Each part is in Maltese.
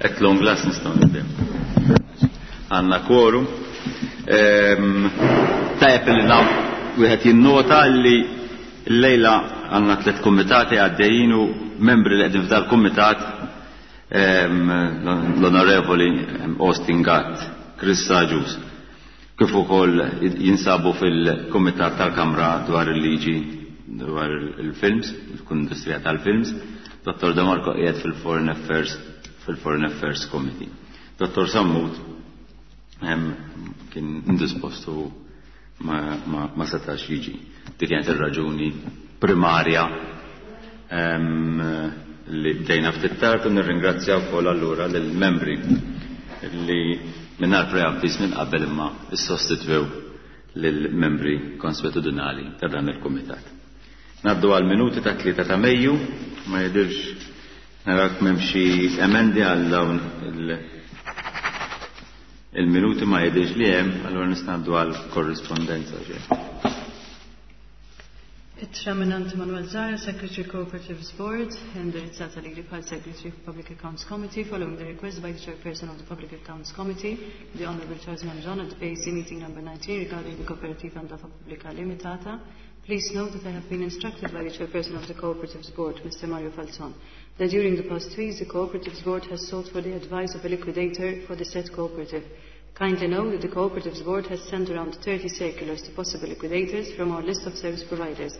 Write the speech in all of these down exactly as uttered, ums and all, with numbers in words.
At long last nistgħu nibdew. Għandna quorum. Tajjeb li naf wieħed jinnota li llejla għandna tliet kumitati għaddejjin u membri li qegħdin f'dal kumitat l-Onorevoli Austin Gatt, Chris Agius, kif ukoll jinsabu fil-Kumitat tal-Kamra dwar il-liġi dwar il-films, l-industrija tal-films, Dottor De Marco qiegħed fil-Foreign Affairs fil-Foreign Affairs Committee. Dottor Sammut kien indispostu ma, ma, ma setax jiġi. Dik kienet ir-raġuni primarja em, li bdejna ftit tard u nirringrazzja wkoll allura lill-membri li mingħajr preavviż minn qabel imma issostitwew lill-membri konswetudinali ta' dan il-kumitat. Naddu għal minuti ta' tlieta ta' Mejju, ma jidirx narak m'hemm xi emendi għal dawn il- il-minuti ma jidirx li hemm, allura nista' ngħaddu għal korrispondenza ġej. Ittra mingħand Manuel Zahra, Secretary Cooperatives Board, indirizzata lili bħal Secretary of Public Accounts Committee, following the request by the Chairperson of the Public Accounts Committee, the Honorable Charles Mangion, at A C meeting number nineteen regarding the Cooperativa Ndafa Pubblica Limitata. Please note that I have been instructed by the Chairperson of the Cooperatives Board, Mister Mario Falzon, that during the past weeks the Cooperatives Board has sought for the advice of a liquidator for the said cooperative. Kindly note that the Cooperatives Board has sent around thirty circulars to possible liquidators from our list of service providers.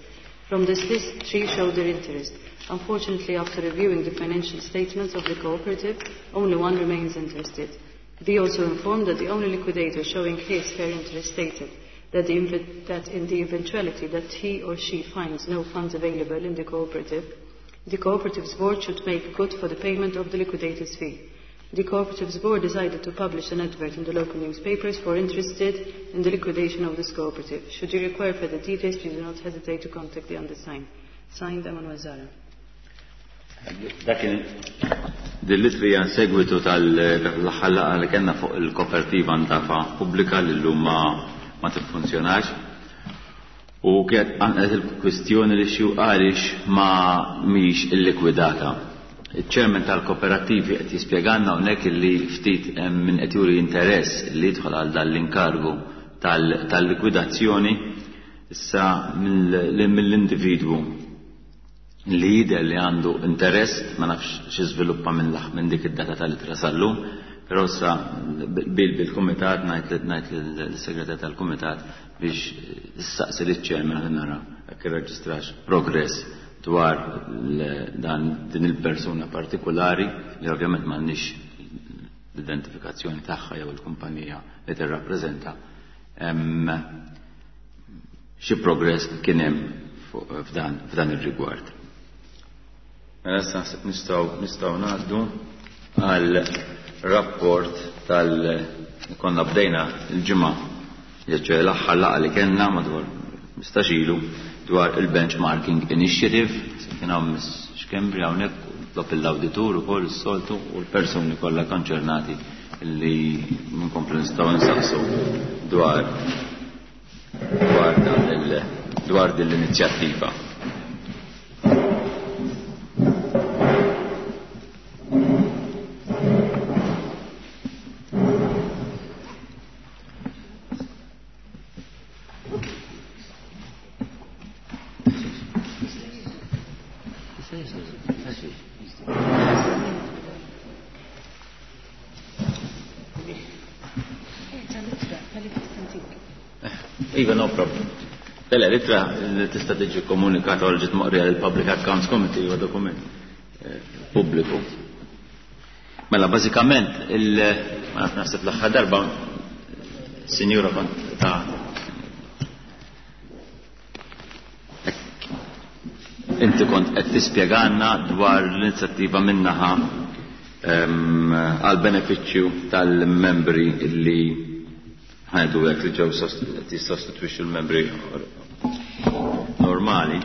From this list, three showed their interest. Unfortunately, after reviewing the financial statements of the cooperative, only one remains interested. Be also informed that the only liquidator showing his fair interest stated that, the, inv-, that in the eventuality that he or she finds no funds available in the cooperative, the Cooperatives Board should make good for the payment of the liquidator's fee. The Cooperatives Board decided to publish an advert in the local newspapers for interested in the liquidation of this cooperative. Should you require further details, please do not hesitate to contact the undersigned. Signed, Emanuel Zahra. Dak dil-litri għan segwitu tal-aħħar laqgħa li kellna fuq il-kooperativa Ndafa Pubblika li llum ma, ma tiffunzjonax. U kienet għanqet il-kwistjoni li xi għaliex ma mhix illikwidata. Il-ċermen tal-kooperativi qed jispjegalna hawnhekk li ftit hemm min qed juri interess li jidħol għal dan l-inkargu tal-, tal-likwidazzjoni issa mill-, mill-individwu li jidher li għandu interess, ma nafx xi żviluppa minn l-, minn dik id-data tal-ittra sal-lum, però issa bil-, bil-kumitat ngħid ngħid lill-segretar tal-kumitat biex issaqsi liċ-ċermen ħalli nara jekk irreġistrax progress dwar l-, dan din il-persuna partikolari li ovvjament m'għandniex l-identifikazzjoni tagħha jew il-kumpanija li tirrappreżenta. Hemm xi progress kien hemm fuq, f'dan, f'dan ir-rigward. Mela issa naħseb nistgħu, nistgħu ngħaddu għal rapport tal konna bdejna l-ġimgħa, ġeċ l-aħħar laqgħa li kellna madwar mistax ilu dwar il-Benchmarking Initiative. Kien hawn Miss Schembri hawnhekk, tlob l-awditur ukoll is-soltu u l-persuni kollha konċernati li nkomplu nistgħu nsaqsu dwar, dwar dan il-, dwar din l-inizjattiva. Iva, no problem. Lele, l-ittra li tista' tiġi komunikata u ġiet moqrija lill-Public Accounts Committee huwa dokument, eh, pubbliku. Mela, bażikament, il-, ma nafx naħseb l-aħħar darba, sinjura kont ta' inti kont qed tispjegalna dwar l-inizjattiva minnaħa, ehm, għal benefiċċju tal-membri li ħajdu hekk li ġew sost-, qed jissostitwixxu l-membri normali.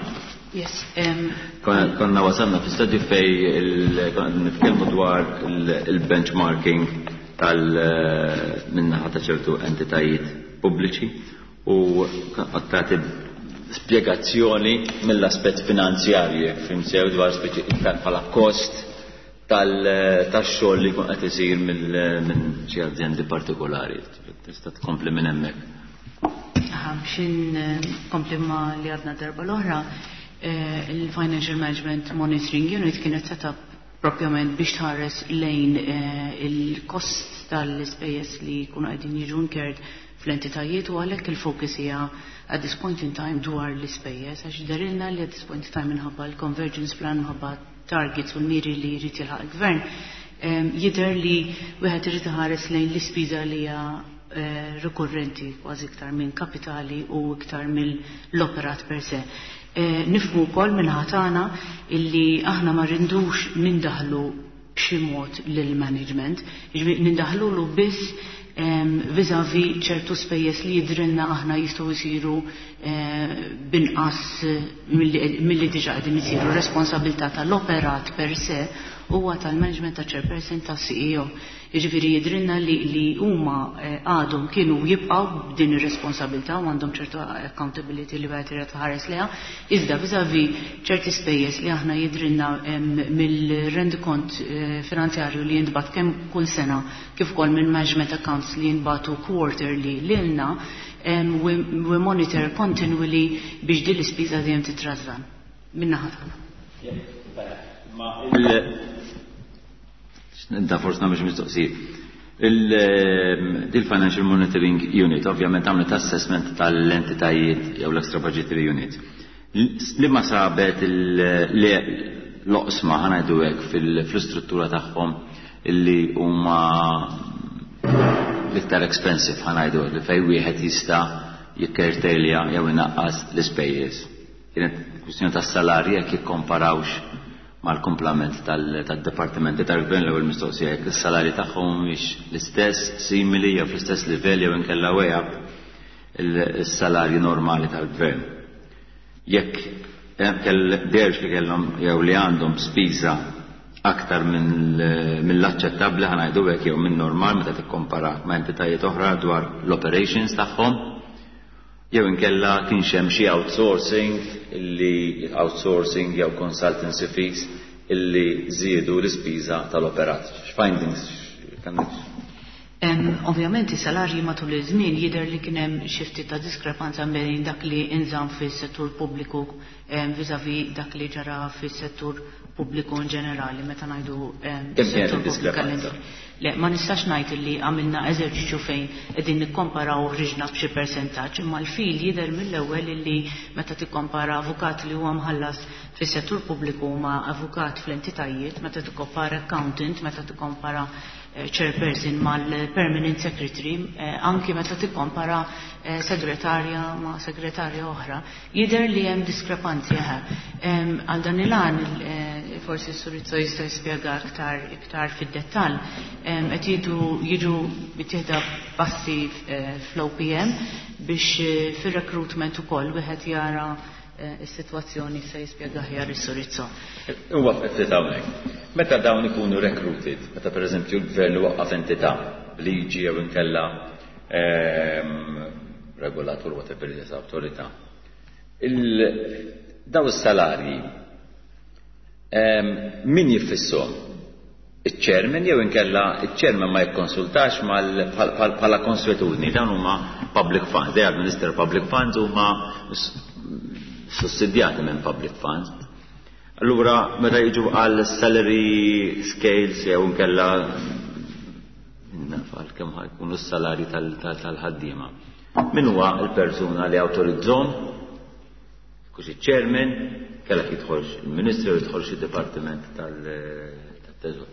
Yes, um, Konna, konna wasalna fi stadju fej il-, konna nitkellmu dwar il-, il-benchmarking tal-, minnaħa ta' ċertu entitajiet pubbliċi u qed tagħti spjegazzjoni mill-aspett finanzjarju, jekk fhimt sew, dwar speċi iktar bħala kost tax-xogħol li jkun qed isir minn xi azjendi partikolari. Tista' tkompli minn hemmhekk. Biex inkompli ma li għadna darba l-oħra, il-Financial Management Monitoring Unit kienet set up propjament biex tħares lejn il-kost tal-ispejjeż li jkunu qegħdin jiġu incurred fl-entitajiet, u għalhekk il-focus hija at this point in time dwar l-ispejjeż, għax dehrilna li at this point in time, minħabba l-convergence plan, minħabba targets u l-miri li jrid jilħaq il-gvern, jidher li wieħed irid iħares lejn l-ispiża li hija rikurrenti kważi iktar minn kapitali u iktar mill-operat per se. Nifhmu wkoll minn ħatana illi aħna ma rridux nindaħlu b'xi mod lill-management, jiġifieri nindaħlulu biss vis-à-vis ċertu spejjeż li jidhrilna aħna jistgħu jsiru binqas milli diġà qegħdin isiru. Responsabilità tal-operat per se huwa tal-management, ta' chairperson, ta' C E O. Jiġifieri jidhrilna li, li huma għadhom kienu jibqgħu b'din ir-responsabilità u għandhom ċertu accountability li wieħed irid ħares leha, iżda vis-à-vis ċerti spejjeż li aħna jidhrilna mill-rendikont finanzjarju li jintbagħat kemm kull sena kif ukoll minn management accounts li jinbagħtu quarterly lilna, we, we monitor continually biex din l-ispiża dejjem titrażżan min-naħa tagħna. Nda forsi nagħmel mistoqsijiet. Il-Financial Monitoring Unit ovvjament għamlet assessment tal-entitajiet jew l-extra budgetary unit. Li ma sabet l-oqsma, ħa ngħidu hekk, fil-istruttura tagħhom illi huma l-iktar expensive, ħa ngħidu hekk, li fejn wieħed jista' jikkurtejlja jew inaqqas l-ispejjeż? Kienet kwistjoni tas-salarji, jekk jikkomparawx mal-komplament tal-departimenti tal-gvern, l-ewwel mistoqsija, jekk is-salarji tagħhom mhumiex l-istess, simili jew fl-istess livell jew inkella way up il-salarji normali tal-gvern. Jekk deherx li kellhom jew li għandhom spiża aktar mill-aċċettabbli, ħa ngħidu hekk, jew minn normal meta tikkompara ma' entitajiet oħra dwar l-operations tagħhom, jew inkella kienx hemm xi outsourcing illi outsourcing jew consultancy fees illi żiedu l-ispiża tal-operat. X'findings kellek? Ovvjament is-salarji matul iż-żmien jidher li kien hemm xi ftit ta' diskrepanza bejn dak li inżamm fis-settur pubbliku vis-à-vis dak li ġara fis-settur pubbliku in ġenerali meta ngħidu settur pubbliku. Le, ma nistax ngħid li għamilna eżerċizzju fejn qegħdin nikkomparaw, ħriġna b'xi persentaġġ, imma l-fil jidher mill-ewwel li meta tikkompara avukat li huwa mħallas fis-settur pubbliku ma' avukat fl-entitajiet, meta tikkompara accountant, meta tikkompara chairperson mal-permanent secretary, anki meta tikkompara segretarja ma' segretarja oħra, jidher li hemm diskrepanzi. Għal dan il-għan, forsi s-Sur Rizzo jista' jispjega iktar iktar fid-dettall, qed jiġu jiġu jittieħdu passi fl-O P M biex fir-recruitment ukoll wieħed jara is-sitwazzjoni. Se jispjega aħjar is-Sur Rizzo. Huwa ftit hawnhekk. Meta dawn ikunu recruited, meta pereżempju l-gvern waqqaf entità b'liġi jew inkella regolatur, whatever it is, awtorità, daw is-salarji min jiffissahom? Il-chairman jew inkella il-chairman ma jikkonsultax bħala konswetudni? Dawn huma public funds, they administer public funds, huma sussidjati minn public funds. Allura, meta jiġu għal salary scales jew inkella naf għal kemm jkunu s-salari tal-ħaddiema, min huwa il-persuna li awtorizzahom? Kux il-chairman, kellek jidħolx il-ministru, jidħolx il-dipartiment tal-teżor?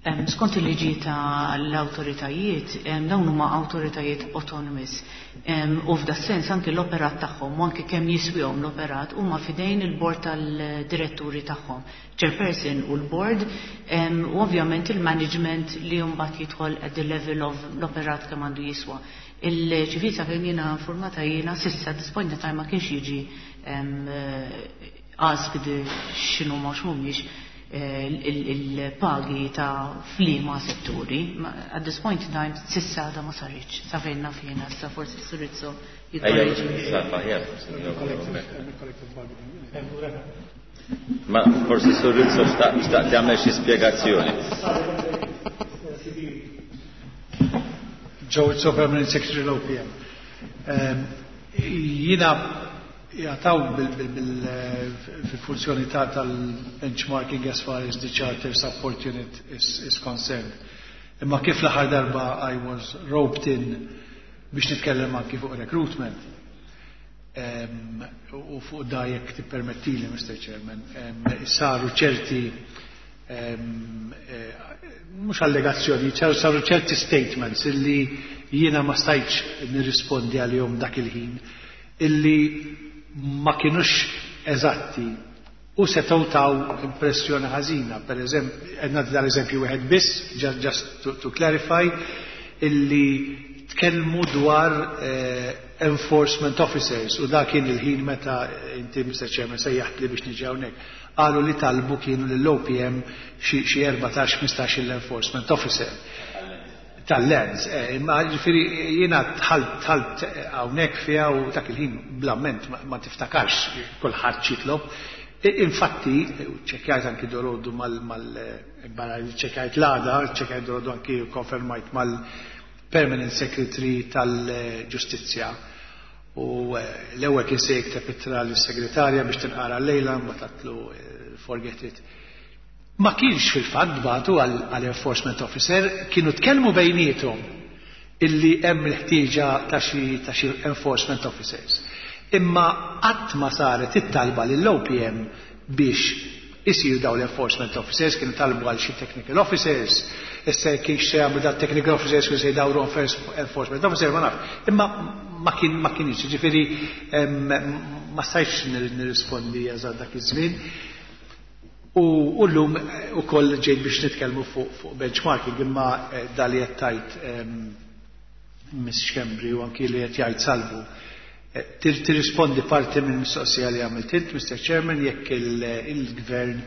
Skont il-liġi tal-awtoritajiet, dawn huma awtoritajiet autonomous. U f'da sens anki l-operat tagħhom u anki kemm jiswihom l-operat huma fidejn il-bord tal-diretturi tagħhom. Chairperson u l-board, u ovvjament il-management li mbagħad jidħol at the level of l-operat kemm għandu jiswa. Il-ċivil sa fejn jiena informata jiena s'issa this point in time ma kienx jiġi asked x'inhu ma x'mhumiex il-pagi ta' f'liema setturi. At this point in time, s'issa da ma saritx, sa fejn naf jiena, sa forsi s-Sur Rizzo jikkorreġi. Ma forsi s-Sur Rizzo xtaq jagħmel xi spjegazzjoni. Joe Rizzo, Permanent Secretary l-O P M. Jiena jgħataw fil-funzjoni ta' tal-benchmarking as far as the Charter Support Unit is, is concerned. Imma kif l-aħħar darba I was roped in biex nitkellem anki fuq recruitment. Um, u fuq da, jekk tippermettili, Mister Chairman, um, saru ċerti um, mhux allegazzjoni, saru ċerti statements illi jiena ma stajtx nirrispondi għalihom dak il-ħin, illi ma kienux eżatti u setgħu taw impressjoni ħażina. Per eżempju, qed dal-eżempju wieħed biss, just, just to, to clarify, illi tkellmu dwar eh, enforcement officers u dak kien il-ħin meta inti, Mister Chairman, sejjaħt li biex niġi hawnhekk. Qalu li talbu kienu lill-O P M xi erbatax ħmistax l-enforcement officer tal-lands, eh, imma ġifieri jiena dħalt dħalt hawnhekk fiha u dak il-ħin blamment ma, ma tiftakarx kulħadd x'jitlob. Infatti, ċekjajt anki dalgħodu mal, mal, barra li ċekjajt l-għada, ċekjajt dalgħodu anki konfermajt mal-Permanent Secretary tal-Ġustizzja. U eh, l-ewwel kien se jikteb ittra lis-segretarja biex tinqara llejla, mbagħad għedtlu eh, forget it. Ma kienx fil-fatt bagħtu għal enforcement officer, kienu tkellmu bejniethom illi hemm il-ħtieġa ta' xi ta' xi enforcement officers. Imma qatt ma saret it-talba lill-O P M biex isir daw l-enforcement officers, kienu talbu għal xi technical officers, issa kienx se jagħmlu da technical officers kienu se jdawru enforcement officer, ma naf. Imma ma kien ma kienx, ġifieri ma stajtx nirrispondi eżatt dak iż-żmien. U llum ukoll ġejt biex nitkellmu fuq fu benchmarking, imma eh, dali qed tgħid Miss Schembri u anki li qed jgħid Salvu. Eh, tirrispondi parti minn mistoqsija li għamilt int, Mister Chairman, jekk il-gvern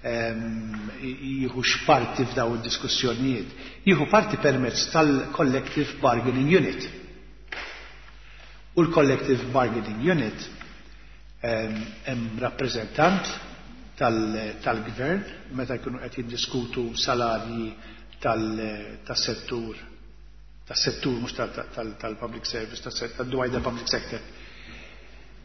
jieħu parti f'daw id-diskussjonijiet. Jieħu parti permezz tal-Collective Bargaining Unit. U l-Collective Bargaining Unit hemm rappreżentant tal-gvern meta jkunu qed jiddiskutu salarji tas-settur tas-settur mhux tal-public service, tal-wider public sector,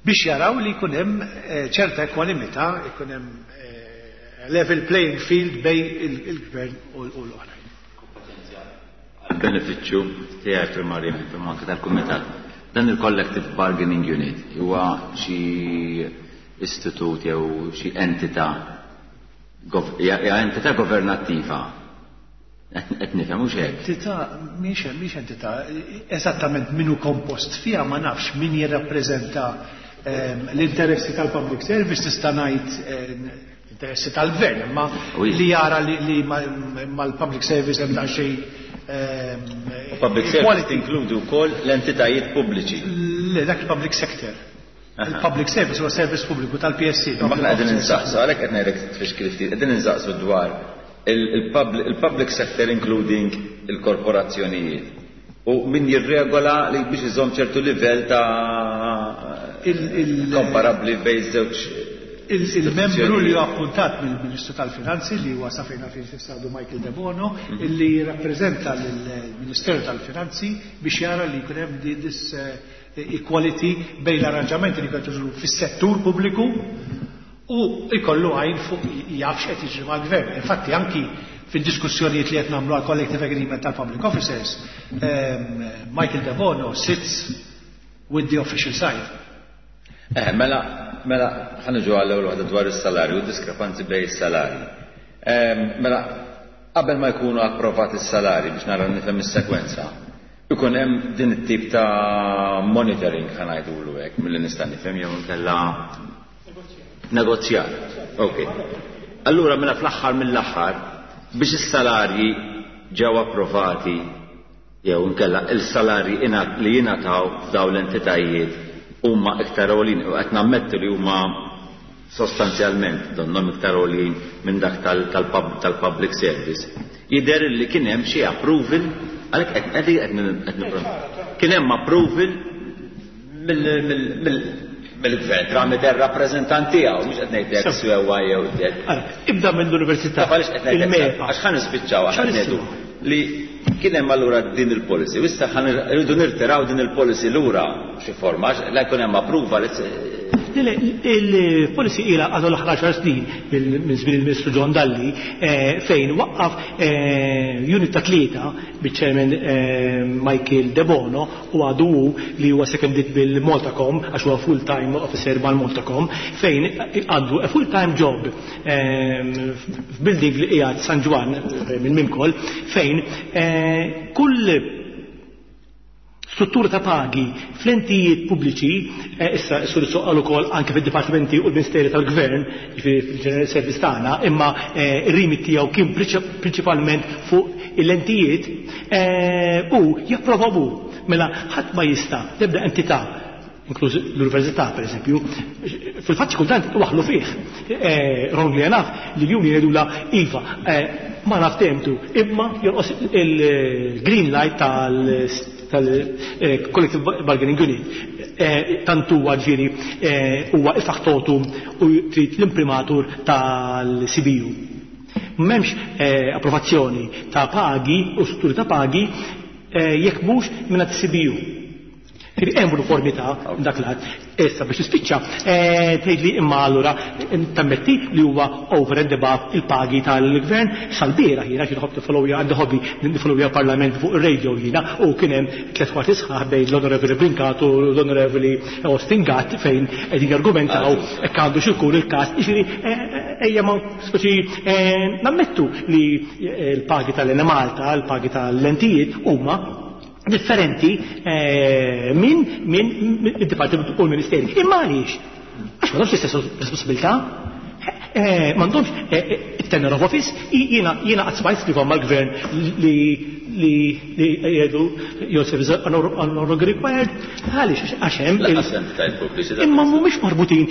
biex jaraw li jkun hemm eh, ċerta ekwanimità, jkun hemm eh, level playing field bejn il-gvern u l-oħrajn. Għal-benefiċċju tiegħi primarjament imma anke tal-kumitat. Dan il-Collective Bargaining Unit huwa xi istitut jew xi entità, hija entità governattiva? Qed nifhem, mhux hekk? Entità mhix mhix entità, eżattament min hu kompost fiha ma nafx. Min jirrappreżenta ehm, l-interessi tal-public service, tista' ngħid eh, interessi tal-gvern, imma li jara li mal-public service hemm xejn ehm, Public service tinkludi wkoll l-entitajiet pubbliċi. Le, dak il-public sector. Il-public service huwa service pubbliku tal-P S C. Ma aħna qegħdin insaqsu, għalhekk qed ngħidlek tfixkil ftit, qegħdin insaqsu dwar il-public sector including il-korporazzjonijiet. U min jirregola li biex iżomm ċertu livell ta' komparabli bejn żewġ Il-membru li huwa appuntat mill-Ministru tal-Finanzi, li huwa sa fejn naf jissadu Michael Debono, mhm. illi jirrappreżenta l-Ministeru tal-Finanzi biex jara li jkun hemm this eh, equality bejn l-arranġamenti li jkunu fis-settur pubbliku u jkollu għajn fuq, jaf x'qed jiġri mal-gvern. Infatti anki fid-diskussjonijiet li qed nagħmlu għal collective agreement tal-public officers, ehm, Michael Debono sits with the official side. Eh, mela, mela, ħa niġu għall-ewwel waħda dwar is-salarju, diskrepanzi bejn is-salarji. Ehm, mela, qabel ma jkunu approvati s-salari, biex nara nifhem is-sekwenza, ikun hemm din it-tip ta' monitoring, ħa ngħidulu hekk, milli nista' nifhem, jew inkella negozjar. Ok. Allura mela fl-aħħar mill-aħħar biex is-salarji ġew approvati jew inkella il-salarji li jingħataw f'dawn l-entitajiet huma iktar għolin u qed nammettu li huma Sostanzjalment donnhom iktar għoljin minn dak tal-public service. Jidher li kien hemm xi approval, għalhekk qed qed kien hemm approval mill-gvern tramite r-rappreżentant tiegħu, mhux qed ngħidlek sewwa jew Ibda mill-università. Għax ħa nispiċċaw aħna ngħidu li kien hemm allura din il-policy. Issa rridu nirtiraw din il-policy lura xi forma, la jkun hemm approval. Il-policy ila għadu l-aħħar għaxar snin minn żmien il-Ministru John Dalli, fejn waqqaf unit ta' tlieta biċ-chairman Michael De Bono, u għadu li huwa seconded bil-Maltacom għax huwa full-time officer mal-Maltacom, fejn għandu a full-time job f'building li qiegħed San Ġwann minn Mimkol, fejn kull struttura ta' pagi fl-entijiet pubbliċi, issa s-sur soqqal ukoll anke fid-dipartimenti u l-Ministeri tal-Gvern, fil-General Service tagħna, imma ir-remit tiegħu kien prinċipalment fuq l-entijiet u japprovaw. Mela ħadd ma jista' tibda entità, inkluż l-università per eżempju, fil-fatt kultant waħlu fih. Wrongly enough li l-union jgħidula iva, ma naf temtu, imma jonqos il-green light tal tal-Collective Bargaining Unit. Tant huwa ġifieri huwa il-faktotum u trid l-imprimatur tal-C B U. M'hemmx approvazzjoni ta' pagi u strutturi ta' pagi jekk mhux minn C B U. Hemm uniformità dak l-att. Issa biex tispiċċa, tgħidli imma allura tammetti li huwa over and above il-pagi tal-gvern sal-bieraħ jiena xi nħobb nifollowja, għandi hobby nifollowja parlament fuq ir-radio jiena, u kien hemm tliet kwarti sħaħ bejn l-Onorevoli Brincat u l-Onorevoli Austin Gatt fejn qegħdin jargumentaw hekk għandu xi jkun il-każ. Jiġifieri ejja ma speċi nammettu li l-pagi tal-Enemalta, l-pagi tal-lentijiet huma differenti minn minn id-dipartiment u l-ministeri. Imma għaliex? Għax m'għandhomx l-istess responsabilità, m'għandhomx it-tenure of office. Jiena jiena qatt smajt skriva mal-gvern li li li jgħidu your service are no longer required. Għaliex? Għax hemm imma mhumiex marbutin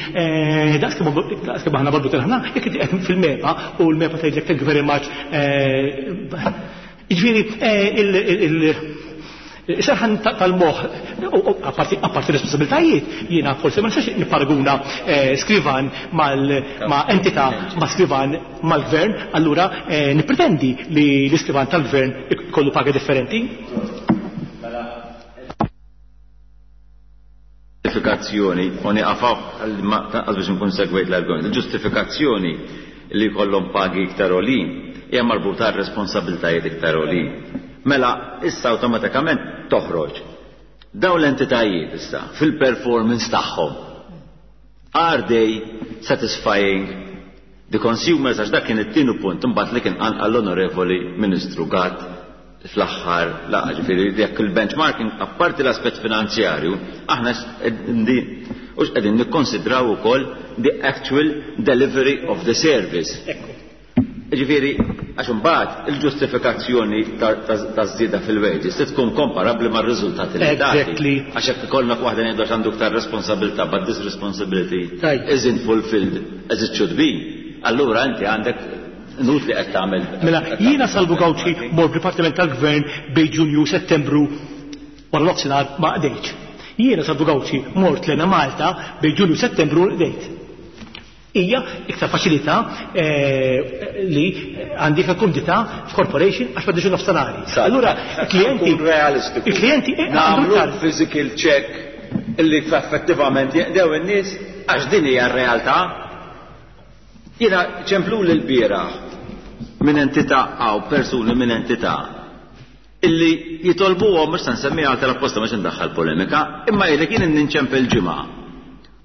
daqs kemm aħna marbutin aħna, jekk inti qed fil-MEPA u l-MEPA tgħidlek thank you very much. Jiġifieri il Serħan tal-moħ, apparti responsabiltajiet, jiena forsi ma nistax nipparaguna skrivan ma' entità ma' skrivan mal-gvern, allura nippretendi li l-iskrivan tal-gvern kollu paga differenti. Ġustifikazzjoni, u nieqaf għal biex nkun segwejt l-argument, il-ġustifikazzjoni li jkollhom pagi iktar għolin hija marbuta r-responsabiltajiet iktar għolin. Mela, issa awtomatikament toħroġ. Dawn l-entitajiet issa, fil-performance tagħhom, are they satisfying the consumers? Għax dak kien it-tieni punt imbagħad li kien qanqal l-Onorevoli Ministru Gatt fl-aħħar laqgħa. Ġifieri jekk il-benchmarking, apparti l-aspett finanzjarju, aħna hux qegħdin nikkonsidraw ukoll the actual delivery of the service. Ġifieri, għax imbagħad il-ġustifikazzjoni taż-żieda fil-wages se tkun komparabbli mar-riżultati li tagħti. Għax jekk ikollna waħda ngħidu għax għandu iktar responsabilità, but this responsibility isn't fulfilled as it should be. Allura inti għandek nut li qed tagħmel. Mela, jiena Salvu Gauci mor Dipartiment tal-Gvern bejn Ġunju Settembru wara nofsinhar ma qdejtx. Jiena Salvu Gauci mort lena Malta bejn Ġunju Settembru qdejt. Hija iktar faċilità li għandi kumdità f'corporation għax m'għandix nofstanari. Allura il-klijenti realistiku. Il-klijenti nagħmlu physical check illi effettivament jeqdew in-nies għax din hija r-realtà. Jiena ċemplu lil bieraħ minn entità għaw persuni minn entità illi jitolbuhom, mhux se nsemmiha għal tal-apposta biex indaħħal polemika, imma jgħidlek jien ninċempel ġimgħa.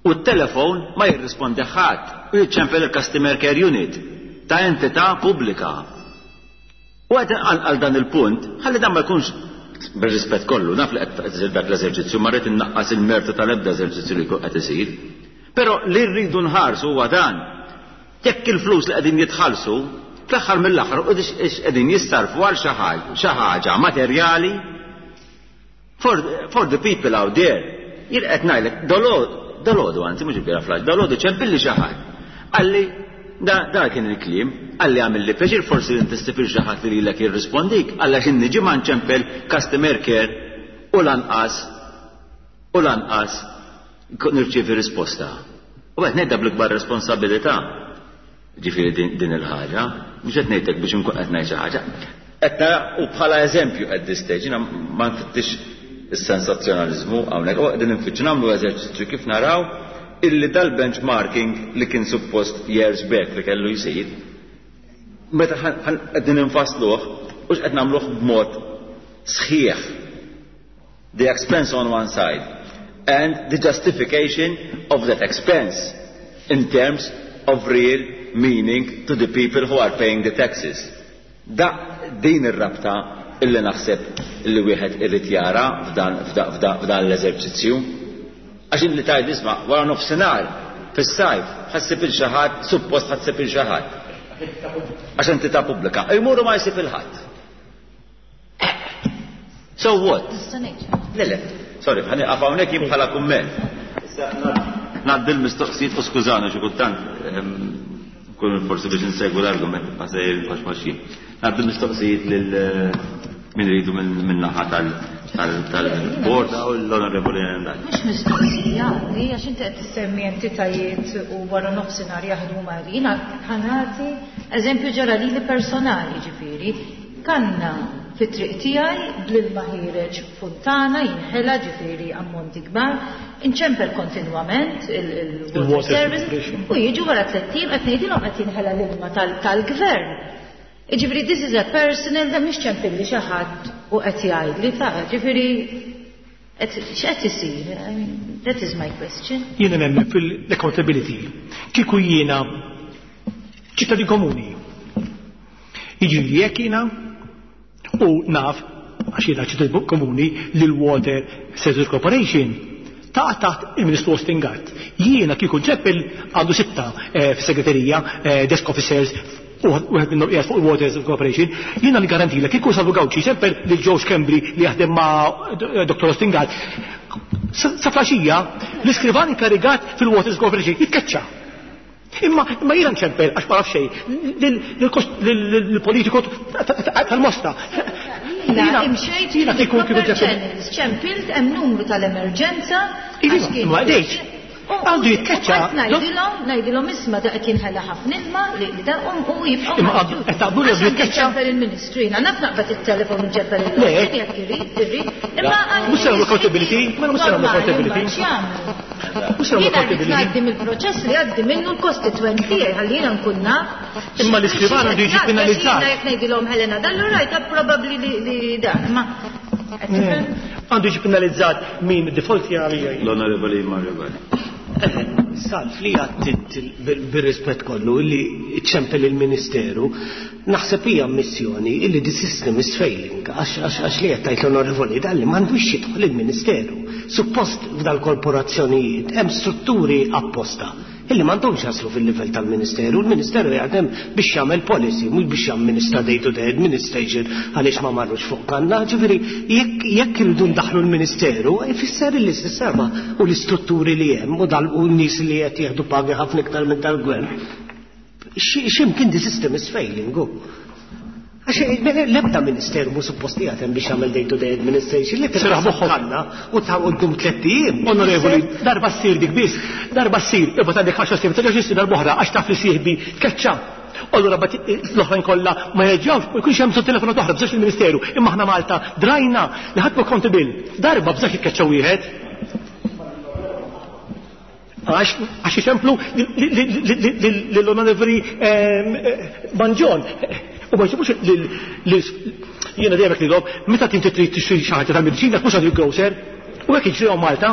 U t-telefon ma jirrispondi ħadd u jiċċempel il-Customer Care Unit ta' entità pubblika. U qed għal dan il-punt, ħalli dan ma jkunx bir-rispett kollu, naf li qed isir dak l-eżerċizzju, ma rrid innaqqas il-mertu tal-ebda eżerċizzju li jkun qed isir. Però li rridu nħarsu huwa dan. Jekk il-flus li qegħdin jitħallsu, fl-aħħar mill-aħħar u qegħdin jissarfu għal xi ħaġa materjali for, for the people out there. Jien qed ngħidlek dolodu, anzi mhux il-bieraħ flash, dalodu ċempilli xi ħadd. Qalli da, da kien il-kliem, qalli għamilli pjaċir forsi inti ssib xi ħadd li lilek jirrispondik, għalla x'in niġi ma nċempel customer care u lanqas u lanqas nirċievi risposta. U qed ngħidha bl-ikbar responsabilità. Ġifieri din, din il-ħaġa, mhux qed ngħidlek biex inkun qed ngħid xi ħaġa. Qed nara u bħala eżempju at this stage, jiena ma nfittix is-sensazzjonaliżmu hawnhekk, u qegħdin nfittxu nagħmlu eżerċizzju kif naraw illi dal-benchmarking li kien suppost years back li kellu jsir, meta qegħdin infassluh, u x'qed nagħmluh b'mod sħiħ. The expense on one side and the justification of that expense in terms of real meaning to the people who are paying the taxes. Da din ir-rabta illi naħseb illi wieħed irid jara f'dan f'dan l-eżerċizzju. Għax li tgħid isma' wara nofsinhar fis-sajf ħa ssib lil xi ħadd, suppost ħa ssib lil xi ħadd. Għax entità pubblika. Jmuru ma jsib lil ħadd. So what? Le, le, sorry, ħa nieqaf hawnhekk jien bħala kumment. Ngħaddi l-mistoqsijiet u skużani xi kultant kun forsi biex insegwu l-argument ma sejjer għax maxin. Ngħaddi l-mistoqsijiet lil min iridu minn naħa tal-bord u l-onorevoli Nandal. Mhux mistoqsija, li għax inti qed tissemmi entitajiet u wara nofsinhar jaħdmu ma' jiena ħa nagħti eżempju ġara lili personali ġifieri. Kanna fit-triq tiegħi bl-ilma ħiereġ funtana jinħela ġifieri ammonti kbar, inċempel kontinwament il-water service u jiġu wara tliet ijiem qed ngħidilhom qed jinħela l-ilma tal-gvern. Ġifieri this is a personal da mhix ċempilli xi ħadd u qed jgħidli ta' ġifieri x'qed isir? I mean, that is my question. Jiena nemmen fil-accountability. Kieku jiena ċittadin komuni. Jiġri jekk jiena u naf għax jiena ċittadin komuni li l-Water Services Corporation ta' taħt il-Ministru Austin Gatt. Jiena kieku nċempel għandu sitta eh, fis-segreterija, eh, desk officers, u wieħed minnhom qiegħed fuq il-Water Corporation, jiena nigarantilek kieku Salvu Gauci ċempel lil Joe Schembri li jaħdem ma' Dottor Austin Gatt. Sa flaxija, l-iskrivan inkarigat fil-Waters Corporation jitkeċċa. Imma imma jiena nċempel għax ma naf xejn lill-politiku tal-Mosta. Jiena imxejt Jiena kieku kieku channels, ċempilt hemm numru tal-emerġenza. Iva, għax kien imma għadejx. Għandu jitkeċċa. Ngħidilhom, ngħidilhom isma' da qed jinħela ħafna ilma li li da um u jibqgħu. Imma għandu- qed taqblu li għandu jitkeċċa? Ċempel il-Ministru, jiena naf naqbad it-telefon nċempel Le. il-Ministru jekk irid, irrid. Imma Mhux se nagħmlu accountability, ma mhux se nagħmlu accountability. Mhux se nagħmlu Jiena rrid accountability. ngħaddi mill-proċess li għaddi minnu l-kostitwent tiegħi ħalli jiena nkun naf. Imma l-iskrivan għandu jiġi penalizzat. Jiena jekk ngħidilhom Helena dallu rajta probabbli li li dak, ma qed tifhem? Għandu jiġi penalizzat min default jgħalija. L-onorevoli Mario Galli. Salv li għattit bil-rispett kollu illi ċempel il-Ministeru, naħseb hija missjoni illi the system is failing, għax għax għax li qed tgħid l-onorevoli Dalli m'għandux jidħol il-Ministeru. Suppost f'dal-korporazzjonijiet hemm strutturi apposta illi m'għandhomx jaslu fil-livell tal-Ministeru. Il-Ministeru jaħdem biex jagħmel policy, mhux biex jamministra day to day administration għaliex ma marrux fuq kanna. Ġifieri jekk jekk irridu ndaħlu l-Ministeru, ifisser li s-sistema u l-istrutturi li hemm u dal u n-nies li qed jieħdu pagi ħafna iktar minn tal-gvern. X'imkien the system is failing. hu. Għax l-ebda ministeru mhu suppost jaħdem biex jagħmel day to day administration li Seraħ moħħok. kanna u ta' quddum tliet ijiem. Onorevoli, darba ssir dik biss, darba ssir, ibgħat għandek għaxar snin, terġax issir darba oħra għax taf li sieħbi tkeċċa. Allura bat l-oħrajn kollha ma jerġgħux, u jkunx hemm bżonn telefonat oħra bżax il-Ministeru. Imma aħna Malta drajna li ħadd accountable. Darba bżax jitkeċċa wieħed. Għax għax iċemplu l-onorevoli Mangion. U ma jġibux jiena dejjem hekk meta tinti trid tixtri xi ħaġa tal-mediċina mhux għand il-grocer. U hekk jiġri Malta.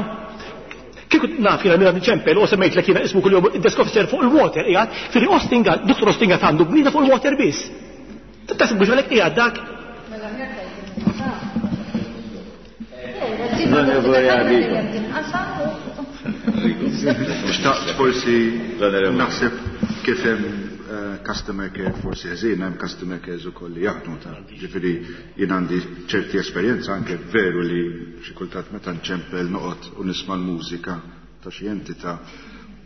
Kieku naf jiena minn ċempel u semmejt lek jiena ismu kuljum desk officer fuq il-water qiegħed, firri Austin Gatt, Dottor Austin Gatt għandu bnida fuq il-water biss. Tasib biex għalhekk qiegħed dak. L-onorevoli Arrigo. Xtaqt forsi naħseb kif hemm eh, customer care forsi ħażin, hemm customer care ukoll li jaħdmu ta' ġifieri jien għandi ċerti esperjenza anke veru li xi kultant meta nċempel noqgħod u nisma' l-mużika ta' xi entità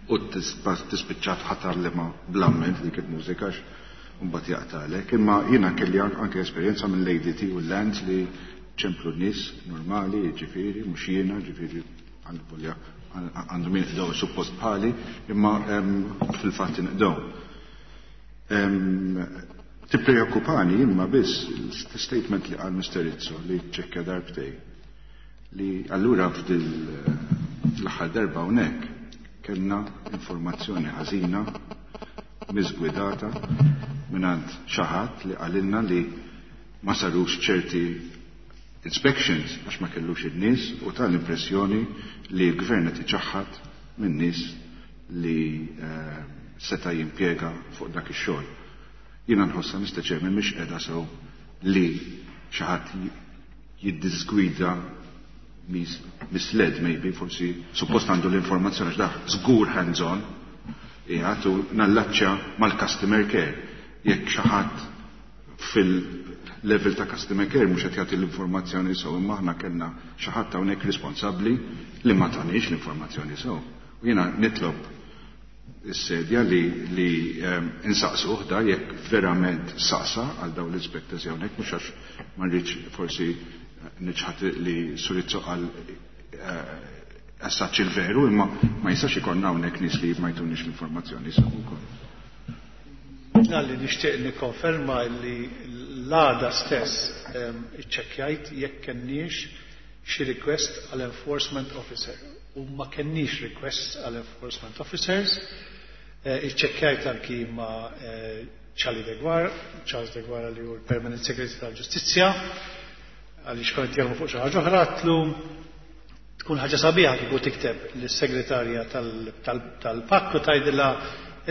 U tispiċċa ħatarlema bl-amment dik il-mużika mbagħad jaqtalek. Imma jiena kelli anke esperjenza minn Lady T u Lands li ċemplu nies normali, ġifieri, mhux jiena, ġifieri għandhom jinqdew suppost bħali, imma fil-fatt inqdew. Tippreokkupani imma biss statement li qal Mister Rizzo li ċekkja darbtej li allura f'dil l-aħħar darba hawnhekk kellna informazzjoni ħażina miżgwidata mingħand xi ħadd li qalilna li ma sarux ċerti inspections għax ma kellux in-nies u ta l-impressjoni li l-gvern qed iċaħħad minn nies li eh, seta' jimpjega fuq dak ix-xogħol. Jiena nħossha Mister Chairman mhix qiegħda sew li xi ħadd jiddisgwida misled maybe forsi suppost għandu l-informazzjoni għax dak żgur hands-on qiegħed u nallaċċja mal-customer care. Jekk xi ħadd fil-level ta' customer care mhux qed jagħti l-informazzjoni sew, imma aħna kellna xi ħadd hawnhekk responsabbli li ma tanix l-informazzjoni sew. U jiena nitlob is-sedja li, li um, insaqsuh da jekk verament saqsa għal dawn l-inspectors hawnhekk, mhux għax ma rridx forsi niċħat li Sur Rizzo għal assaċ il-veru, imma ma jistax ikollna hawnhekk nies li ma jtunix l-informazzjoni sew ukoll. Għalli nixtieq nikkonferma li l-għada stess iċċekkjajt jekk kenniex xi request għal enforcement officer. U ma kenniex request għal enforcement officers. Iċċekkjajt anki ma' Charlie Deguara, Charles Deguara li hu l-Permanent Secretary tal-Ġustizzja, għaliex kont jaħdmu fuq xi ħaġa oħra, għatlu tkun ħaġa sabiħa kieku tikteb lis-segretarja tal-P A C u tgħidilha,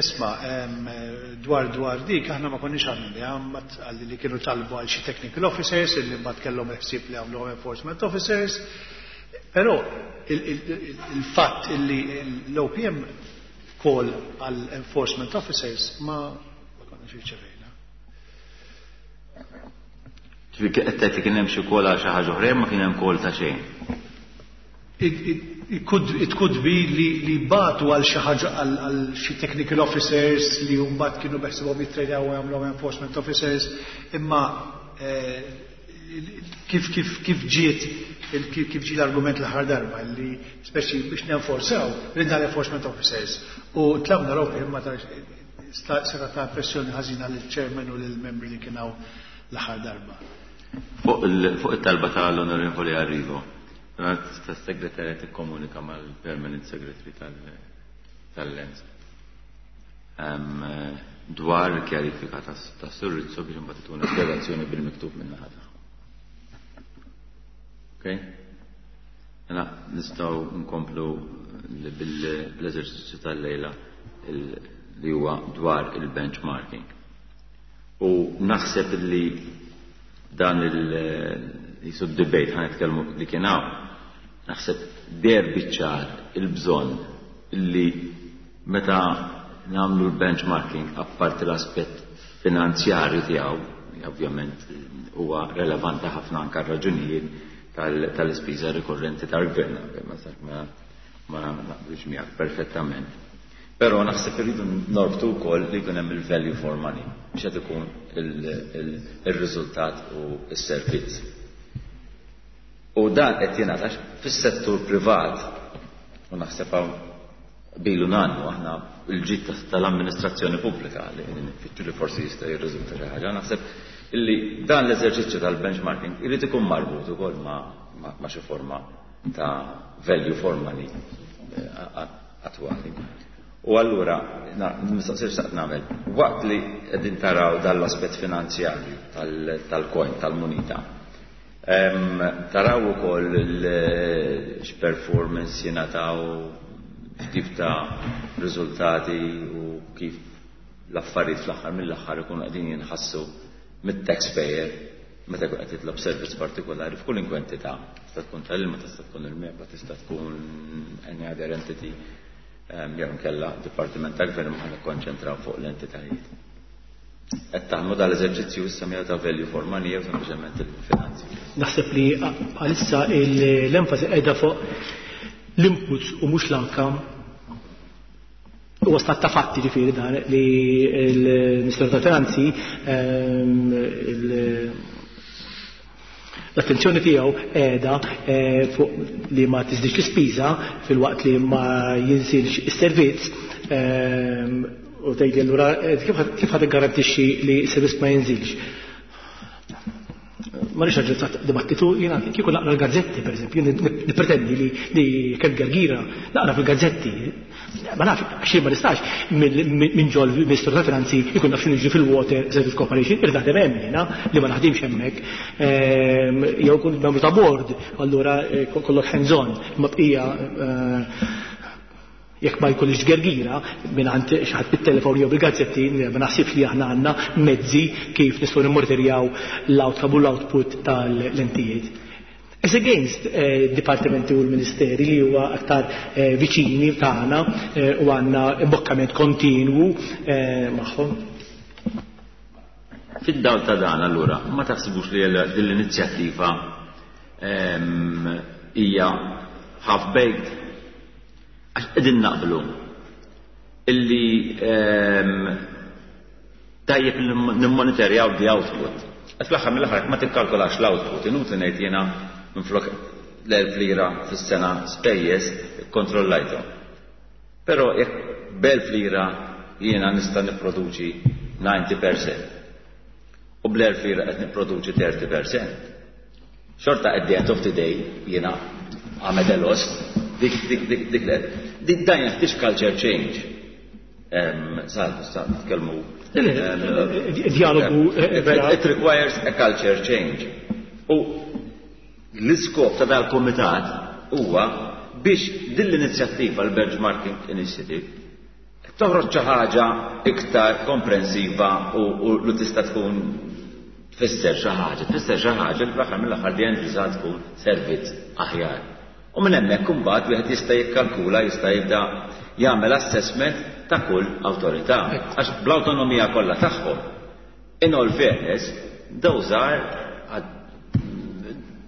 isma', dwar dwar dik aħna ma konniex għamilni, għalli li kienu talbu għal xi technical officers illi mbagħad kellhom il-ħsieb li għamluhom enforcement officers. Però il-fatt illi l-O P M call għal enforcement officers ma ma konniex irċevejna. Ġifieri qed tgħid li kien hemm xi call għal xi ħaġa oħra, ma kien hemm call ta' xejn. It, it, it could, it could be li, li bagħtu għal xi ħaġa, għal, għal xi technical officers li mbagħad kienu beħsibhom jittrejnaw u jagħmluhom enforcement officers, imma eh, kif kif kif ġiet il- kif, kif ġie l-argument l-aħħar darba li speċi biex nenforzaw ridna l-enforcement officers u tlabna ropi, imma ta' seta ta' pressjoni ħażina lill-chairman u lill-membri li kienaw l-aħħar darba. Fuq il- fuq it-talba tal-Onorevoli Arrigo, tas-segretarja tikkomunika mal-Permanent Secretary tal-Lands dwar kjarifika ta' Sur Rizzo biex imbagħad tuna spjegazzjoni bil-miktub minn naħa tagħhom. Okay? Mela nistgħu nkomplu bil-eżerċizzju tal-lejla li huwa dwar il-benchmarking. U naħseb li dan il- jisu debate ħa nitkellmu li kien hawn, naħseb deher biċ-ċar il-bżonn li meta nagħmlu l-benchmarking, apparti l-aspett finanzjarju tiegħu, ovvjament huwa relevanti ħafna anke raġunijiet tal-ispiża rikorrenti tal-gvern, ma ma ma naqbilx miegħek perfettament. Però naħseb irridu norbtu wkoll li jkun hemm il-value for money biex qed ikun il-riżultat u s-servizz. U dan qed jingħata fis-settur privat u naħseb hawn bilu nannu aħna il-ġid tal-amministrazzjoni pubblika li nfittxu li forsi jista' jirriżulta xi ħaġa. Naħseb illi dan l-eżerċizzju tal-benchmarking irid ikun marbut ukoll ma' ma' xi forma ta' value for money eh, attwali. U allura, mistoqsija xtaqt nagħmel, waqt li qegħdin taraw dan l-aspett finanzjarju tal-coin, tal-munita, taraw ukoll x-performance jingħataw, x'tip ta' riżultati u kif l-affarijiet fl-aħħar mill-aħħar ikunu qegħdin jinħassu mit-taxpayer meta jkun qed jitlob servizz partikolari f'kull entità. Tista' tkun tal-ilma, tista' tkun il-MEPA, tista' tkun any other entity jew inkella dipartiment ta' gvern, ma nikkonċentraw fuq l-entitajiet. Qed taħdmu dal-eżerċizzju issa miegħu ta' value for money jew sempliċement il-finanzi? Naħseb li bħalissa l-enfasi qiegħda fuq l-inputs u mhux l-outcome. Huwa stat ta' fatti ġifieri dan li l-Ministeru tal-Finanzi l-attenzjoni tiegħu qiegħda fuq li ma tiżdix l-ispiża filwaqt li ma jinżilx is-servizz, u tgħidli allura kif ħad iggarantixxi li s-servizz ma jinżilx. Ma rridx aġġornat dibattitu, jiena kieku naqra l-gazzetti pereżempju, nippretendi li li kemm gergira naqra fil-gazzetti. Ma nafx, għax ma nistax minn ġol Ministru tal-Finanzi jkun naf x'inhu jiġri fil-Water Service Corporation, irid naħdem hemm jiena li ma naħdimx hemmhekk. Jew kun membru ta' board, allura kollok hands on, imma bqija jekk ma jkollix gergira minn għand xi ħadd bit-telefon jew bil-gazzetti, ma naħsibx li aħna għandna mezzi kif nistgħu nimmonitorjaw l-outcome u l-output tal-entijiet. As against eh, dipartimenti u l-ministeri li huwa aktar eh, viċini tagħna eh, u għandna imbokkament kontinwu eh, magħhom. Fid-dawl ta' dan allura, ma taħsibux li din l-inizjattiva hija half-baked? Għax qegħdin naqblu illi tajjeb nimmonitorjaw the output. Għax fl-aħħar mill-aħħar ma tikkalkolax l-output, inutli ngħid jiena minflok l-elf lira fis-sena spejjeż ikkontrollajthom. Però jekk b'elf lira jiena nista' nipproduċi ninety percent u bl-elf lira qed nipproduċi thirty percent. Xorta at the end of the day jiena għamed lost dik dik dik dik dik dik dan jeħtieġ culture change. Sal, sal, nitkellmu. Dialogu vera. It requires a culture change. U l-iskop ta' dal-komitat huwa biex din l-inizjattiva, l-Benchmarking Initiative, toħroġ xi ħaġa iktar komprensiva u, u li tista' tkun tfisser xi ħaġa, tfisser xi ħaġa li fl-aħħar mill-aħħar di end result tkun servizz aħjar. U minn hemmhekk imbagħad wieħed jista' jikkalkula, jista' jibda jagħmel assessment ta' kull awtorità. Għax bl-awtonomija kollha tagħhom, in all fairness, those are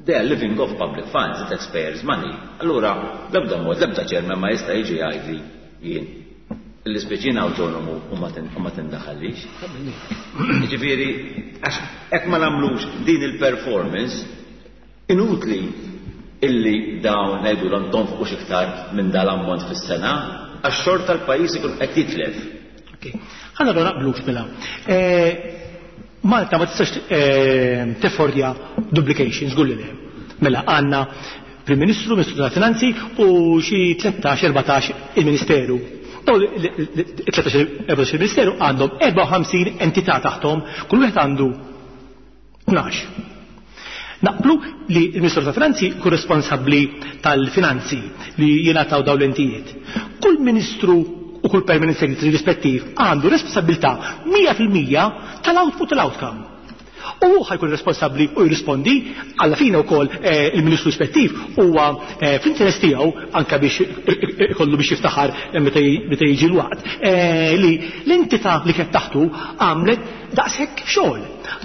they are living off public funds, the taxpayers' money. Allura, l-ebda mod, l-ebda chairman ma jista' jiġi jgħidli jien l-ispeċina autonomu u ma tindaħallix. Jiġifieri, għax hekk ma nagħmlux din il-performance, inutli illi dawn ngħidulhom tonfqux iktar minn dal-ammont fis-sena, għax xorta l-pajjiż ikun qed jitlef. Ok. Ħa naraw naqblux mela. Malta ma tistax teffordja duplications, żgur li le. Mela għandna Prim Ministru, Ministru tal-Finanzi u xi tlettax, erbatax il-Ministeru. Dawn it-tlettax, erbatax il-Ministeru għandhom erbgħa u ħamsin entità taħtom, kull wieħed għandu tnax. Naqblu li l-Ministru tal-Finanzi kun responsabbli tal-finanzi li jingħataw dawn l-entijiet. Kull ministru u kull permanent secretary rispettiv għandu responsabilità mija fil-mija tal-output tal-outcome. U hu ħajkun responsabbli u jirrispondi alla fina wkoll, eh, il-ministru rispettiv huwa, eh, fl-interess tiegħu anke biex ikollu biex jiftaħar meta jiġi l-waqt, eh, li l-entità li kienet taħtu għamlet daqshekk xogħol,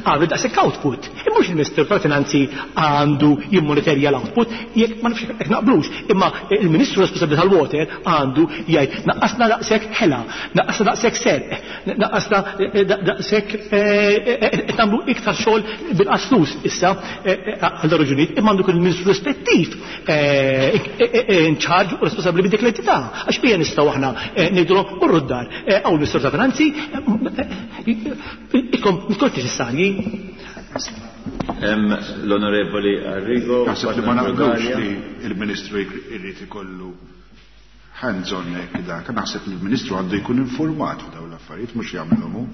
għamlet daqshekk output. Imma mhux il-Ministru tal-Finanzi għandu jimmonitorja l-output, jekk ma nafx jekk naqblux, imma il-Ministru responsabbli tal-water għandu jgħid naqqasna daqshekk ħela, naqqasna daqshekk serq, naqqasna daqshekk, eh, eh, qed nagħmlu iktar xogħol bil-qas flus issa, eh, eh, għal raġunijiet, imma għandu jkun il-Ministru rispettiv, eh, eh, eh, in charge u responsabbli b'dik l-entità. Għax bija nistgħu aħna, eh, ngħidulhom morru d-dar, eh, hawn il-Ministru tal-Finanzi, eh, ikom miskont neċessarji. Hemm l-Onorevoli Arrigo. Naħseb li ma naqblux li il-Ministru jrid ikollu hands-on hekk dak. Naħseb li l-Ministru għandu jkun informat f'dawn l-affarijiet, mhux jagħmelhom hu.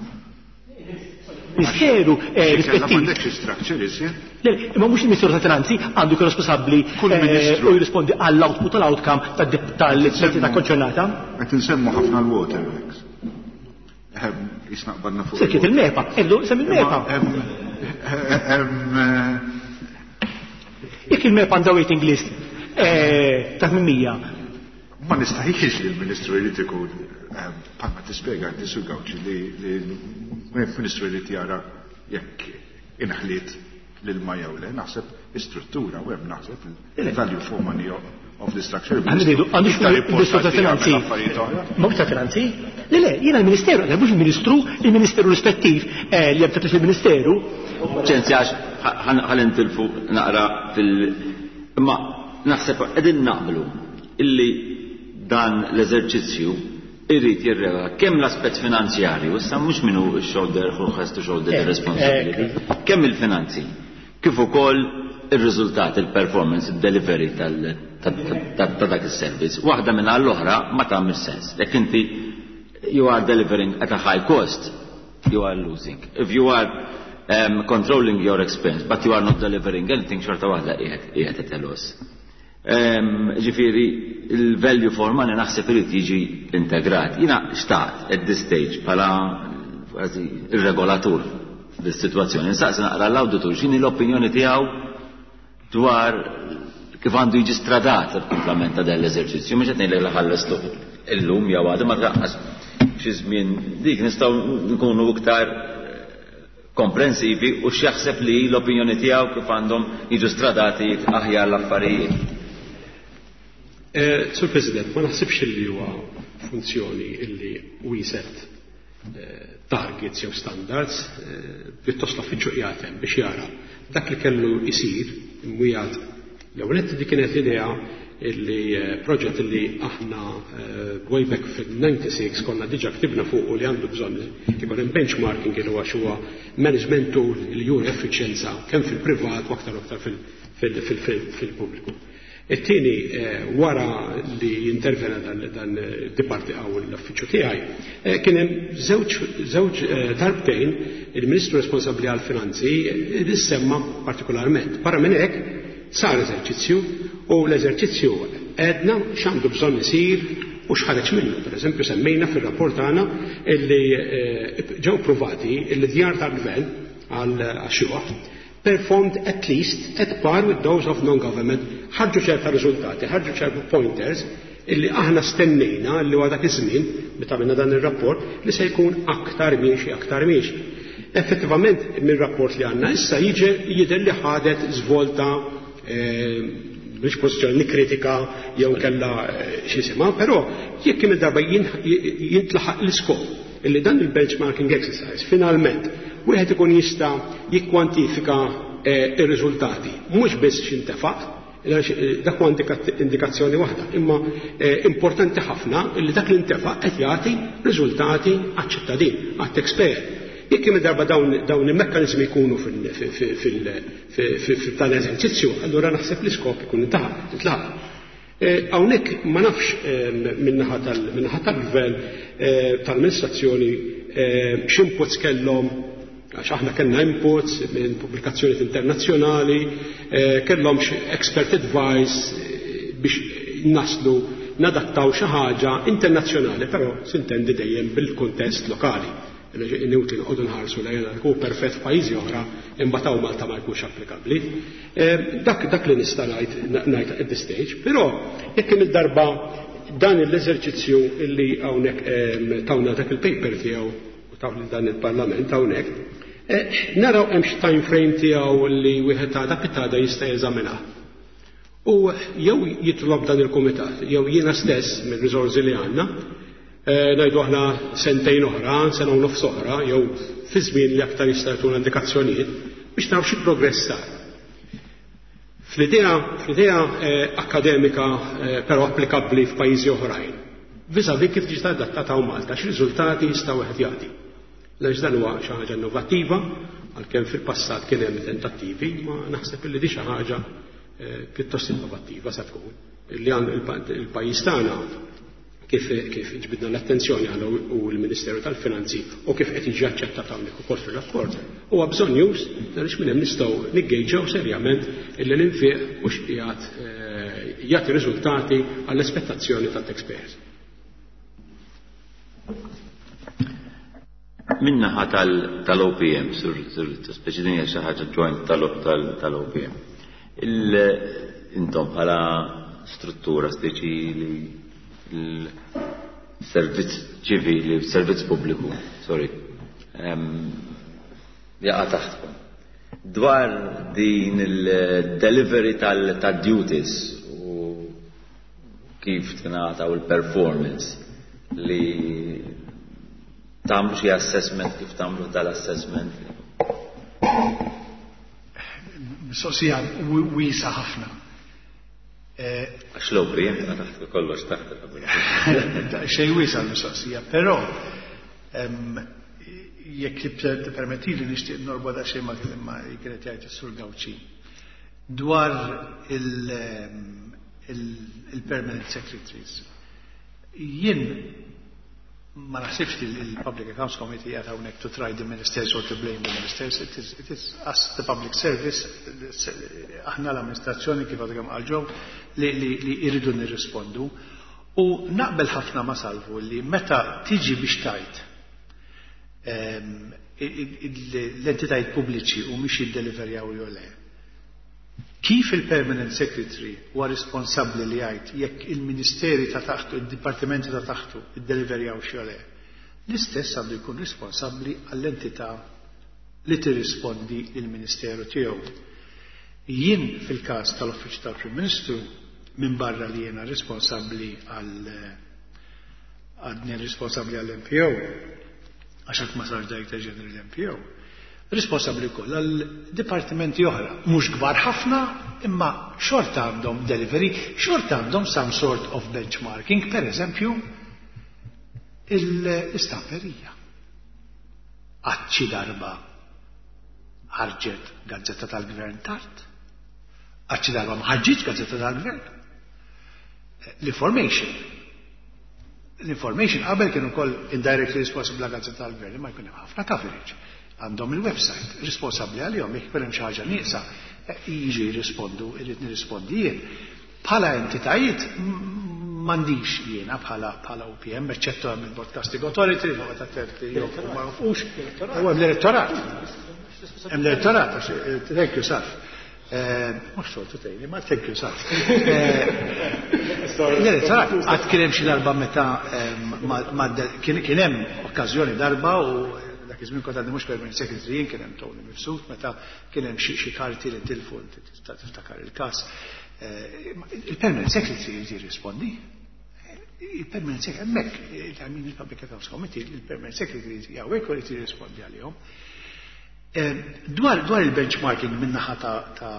Ministeru, eh, Xi kellha rispettiv. M'għandekx structure iżjed? Le, imma mhux il-Ministeru tal-Finanzi għandu jkun responsabbli, Kull eh, ministru. u jirrispondi għall-output u l-outcome tal-entità konċernata. Qed insemmu ħafna l-waterworks. Ehm, jisna qbadna fuq Sekkiet il-MEPA, eddu sem il-MEPA. Hemm, hemm, eh, Jekk il-MEPA għandha waiting list, eh, ta' tmien mija. Ma nistaħiex li l-Ministru jrid ikun, ehm, bħalma tispjega inti Sur Gauci li li l-Ministru jrid jara jekk inħliet l-ilma jew le, naħseb istruttura u hemm naħseb il-value for money of the structure. Għandux il-Ministru ta' Finanzi. Mhux ta' Finanzi? Le, le, jiena l-Ministeru, mhux il-Ministru, il-Ministeru rispettiv eh, li hemm il-Ministeru. Ċenzi għax ħa nintilfu naqra fil- Imma naħseb qegħdin naqblu illi dan l-eżerċizzju irrid jirregola kemm l-aspett finanzjarju, issa mhux minnu shoulder who has to shoulder the responsibility, kemm il-finanzi, kif ukoll ir-riżultat, il-performance, il-delivery ta' dak is-servizz. Waħda minn l-oħra ma tagħmel sens. Jekk inti you are delivering at a high cost, you are losing. If you are um, controlling your expense, but you are not delivering anything, xorta waħda qiegħed at a loss. Ġifieri, il-value for money naħseb irid jiġi integrat. Jiena xtaqt at this stage bħala kważi ir-regolatur fis-sitwazzjoni. Nsaqsi naqra l-awditur x'inhi l-opinjoni tiegħu dwar kif għandu jiġi stradat il-komplament ta' dan l-eżerċizzju, mhux qed ngħidlek li ħallestu illum jew għadu ma tlaqqas xi żmien dik nistgħu nkunu iktar komprensivi u x'jaħseb li l-opinjoni tiegħu kif għandhom jiġu stradati aħjar l-affarijiet. Eh, Sur President, ma naħsibx li huwa funzjoni illi we set eh, targets jew standards, eh, pjuttost l-uffiċċju qiegħed biex jara dak li kellu jsir imwiegħed l-ewwel dik kienet l-idea illi proġett illi aħna way back fil-disgħa u disgħin konna diġà ktibna fuq u li għandu bżonn ikun hemm benchmarking li huwa huwa management tool li juri effiċjenza kemm fil-privat u aktar aktar fil-pubbliku. It-tieni, wara li intervena dan dan diparti għaw l-uffiċċju tiegħi, kien hemm żewġ żewġ darbtejn il-Ministru responsabbli għall-finanzi semma partikolarment. Barra minn hekk sar eżerċizzju u l-eżerċizzju għedna x'għandu bżonn isir u x'ħareġ minnu. Per eżempju, semmejna fir-rapport tagħna illi ġew provati illi djar tal-gvern għal xjuħ performed at least at par with those of non-government. Ħarġu ċerta riżultati, ħarġu ċerta pointers illi aħna stennejna li huwa dak iż-żmien meta għamilna dan ir-rapport li se jkun aktar miexi, aktar miexi. Effettivament mir-rapport li għandna issa jiġi jidher li ħadet żvolta biex pożizzjoni kritika jew kella xi sema, però jekk kemm darba jintlaħaq l-iskop illi dan il-benchmarking exercise finalment wieħed ikun jista' jikkwantifika ir-riżultati, mhux biss x'intefaq, dak huwa indikazzjoni waħda, imma importanti ħafna illi dak li ntefaq qed jagħti riżultati għaċ-ċittadin, għat-taxpayer. Jekk kemm darba dawn dawn il-mekkaniżmi jkunu fil-tal eżerċizzju, allura naħseb l-iskop ikun intlaħaq. Hawnhekk ma nafx min-naħa tal-gvern tal-amministrazzjoni x'inputs kellhom, għax aħna kellna inputs minn pubblikazzjonijiet internazzjonali, kellhom expert advice biex naslu nadattaw xi ħaġa internazzjonali, però s'intendi dejjem bil-kuntest lokali. Inutli noqogħdu nħarsu lejn hu perfett f'pajjiżi oħra imbagħad hawn Malta ma jkunx applikabbli. Dak dak li nista' ngħid ngħid at this stage, però jekk kemm il-darba dan l-eżerċizzju illi hawnhekk tawna dak il-paper tiegħu u taw lil dan il-Parlament hawnhekk, naraw hemm xi time frame tiegħu li wieħed għada pitgħada jista' jeżaminah. U jew jitlob dan il-kumitat, jew jiena stess mill-riżorsi li għandna, ngħidu aħna sentejn oħra, sena u nofs oħra, jew fi żmien li aktar jista' jtuna indikazzjonijiet biex naraw xi progress sar. Fl-idea, fl-idea akademika però applikabbli f'pajjiżi oħrajn, vis-à-vis kif ġiet adattata hawn Malta, x'riżultati jista' wieħed jagħti. Għaliex dan huwa xi ħaġa innovattiva, għalkemm fil-passat kien hemm tentattivi, ma naħseb illi di xi ħaġa pjuttost innovattiva sa tkun. Li għandu il-pajjiż tagħna kif kif ġbidna l-attenzjoni għal u l-Ministeru tal-Finanzi u kif qed jiġi aċċettat hawnhekk ukoll fir-rapport, huwa bżonnjuż għaliex minn hemm nistgħu niggejġew serjament illi l-infiq mhux qiegħed jagħti riżultati għall-aspettazzjoni tat-taxpayers. Min-naħa tal-O P M, sur speċi din hija xi ħaġa joint tal-O P M. Intom bħala struttura speċi li l-servizz ċivili, servizz pubbliku, sorry, jaqa' taħtkom. Dwar din il-delivery tal-duties u kif tingħata u l-performance li tagħmlu xi assessment, kif tagħmlu dal-assessment? Mistoqsija wiesgħa ħafna. Għax l-O P M taħt kollox taħt. Xej wiesgħa l-mistoqsija, però jekk permettili, nixtieq norbot daqsxejn ma kienet jgħid is-Sur Gauci dwar il-permanent secretaries. Jien ma naħsibx li il-Public Accounts Committee qed hawnhekk to try the ministers or to blame the ministers. It is, it is us, the public service, aħna l-amministrazzjoni, kif għadu kemm qal li, li, li irridu nirrispondu. U naqbel ħafna ma Salvu li meta tiġi biex tajt l-entitajiet pubbliċi u mhix jiddeliverjaw jew le. Kif il-Permanent Secretary huwa responsabbli li jgħid jekk il-ministeri ta' taħtu, il-dipartimenti ta' taħtu iddeliverjaw jew le, l-istess għandu jkun responsabbli għall-entità li tirrispondi il-ministeru tiegħu. Jien fil-każ tal-Uffiċċju tal-Prim Ministru, minn barra li jiena responsabbli għal għadni responsabbli għall-M P O, għax ma sar Director General M P O, responsabbli wkoll għal dipartimenti oħra, mhux kbar ħafna, imma xorta għandhom delivery, xorta għandhom some sort of benchmarking, per eżempju, l-istamperija. Għadxi darba ħarġet gazzetta tal-gvern tard? Għadxi darba ma ħarġitx gazzetta tal-gvern? L-information. L-information qabel kienu koll indirectly responsible gazzetta tal-gvern, ma jkun hemm ħafna coverage. Għandhom il-website, responsabbli għalihom, jekk hemm xi ħaġa nieqsa, eh, jiġu jirrispondu, irrid nirrispondi jien. Bħala entitajiet m'għandix jiena bħala bħala O P M, eċċettu hemm il-Broadcasting Authority, li attenti jew ma nafux, u hemm l-elettorat. Hemm l-elettorat, eh, thank you, Saf. Eh, mhux soltu tgħidli, ma thank you, Saf. L-elettorat għad kien hemm xi darba meta kien hemm okkażjoni darba, u dak iż-żmien kont għadni mhux permanent secretary jien, kien hemm Tony Mifsud, meta kien hemm xi karti li tilfu, tiftakar il-każ. Il-permanent secretary jrid jirrispondi. Il-permanent secretary, hemmhekk, il il-Public Accounts Committee, il-permanent secretary jgħawek u jrid jirrispondi għalihom. Dwar, dwar il-benchmarking min-naħa ta', ta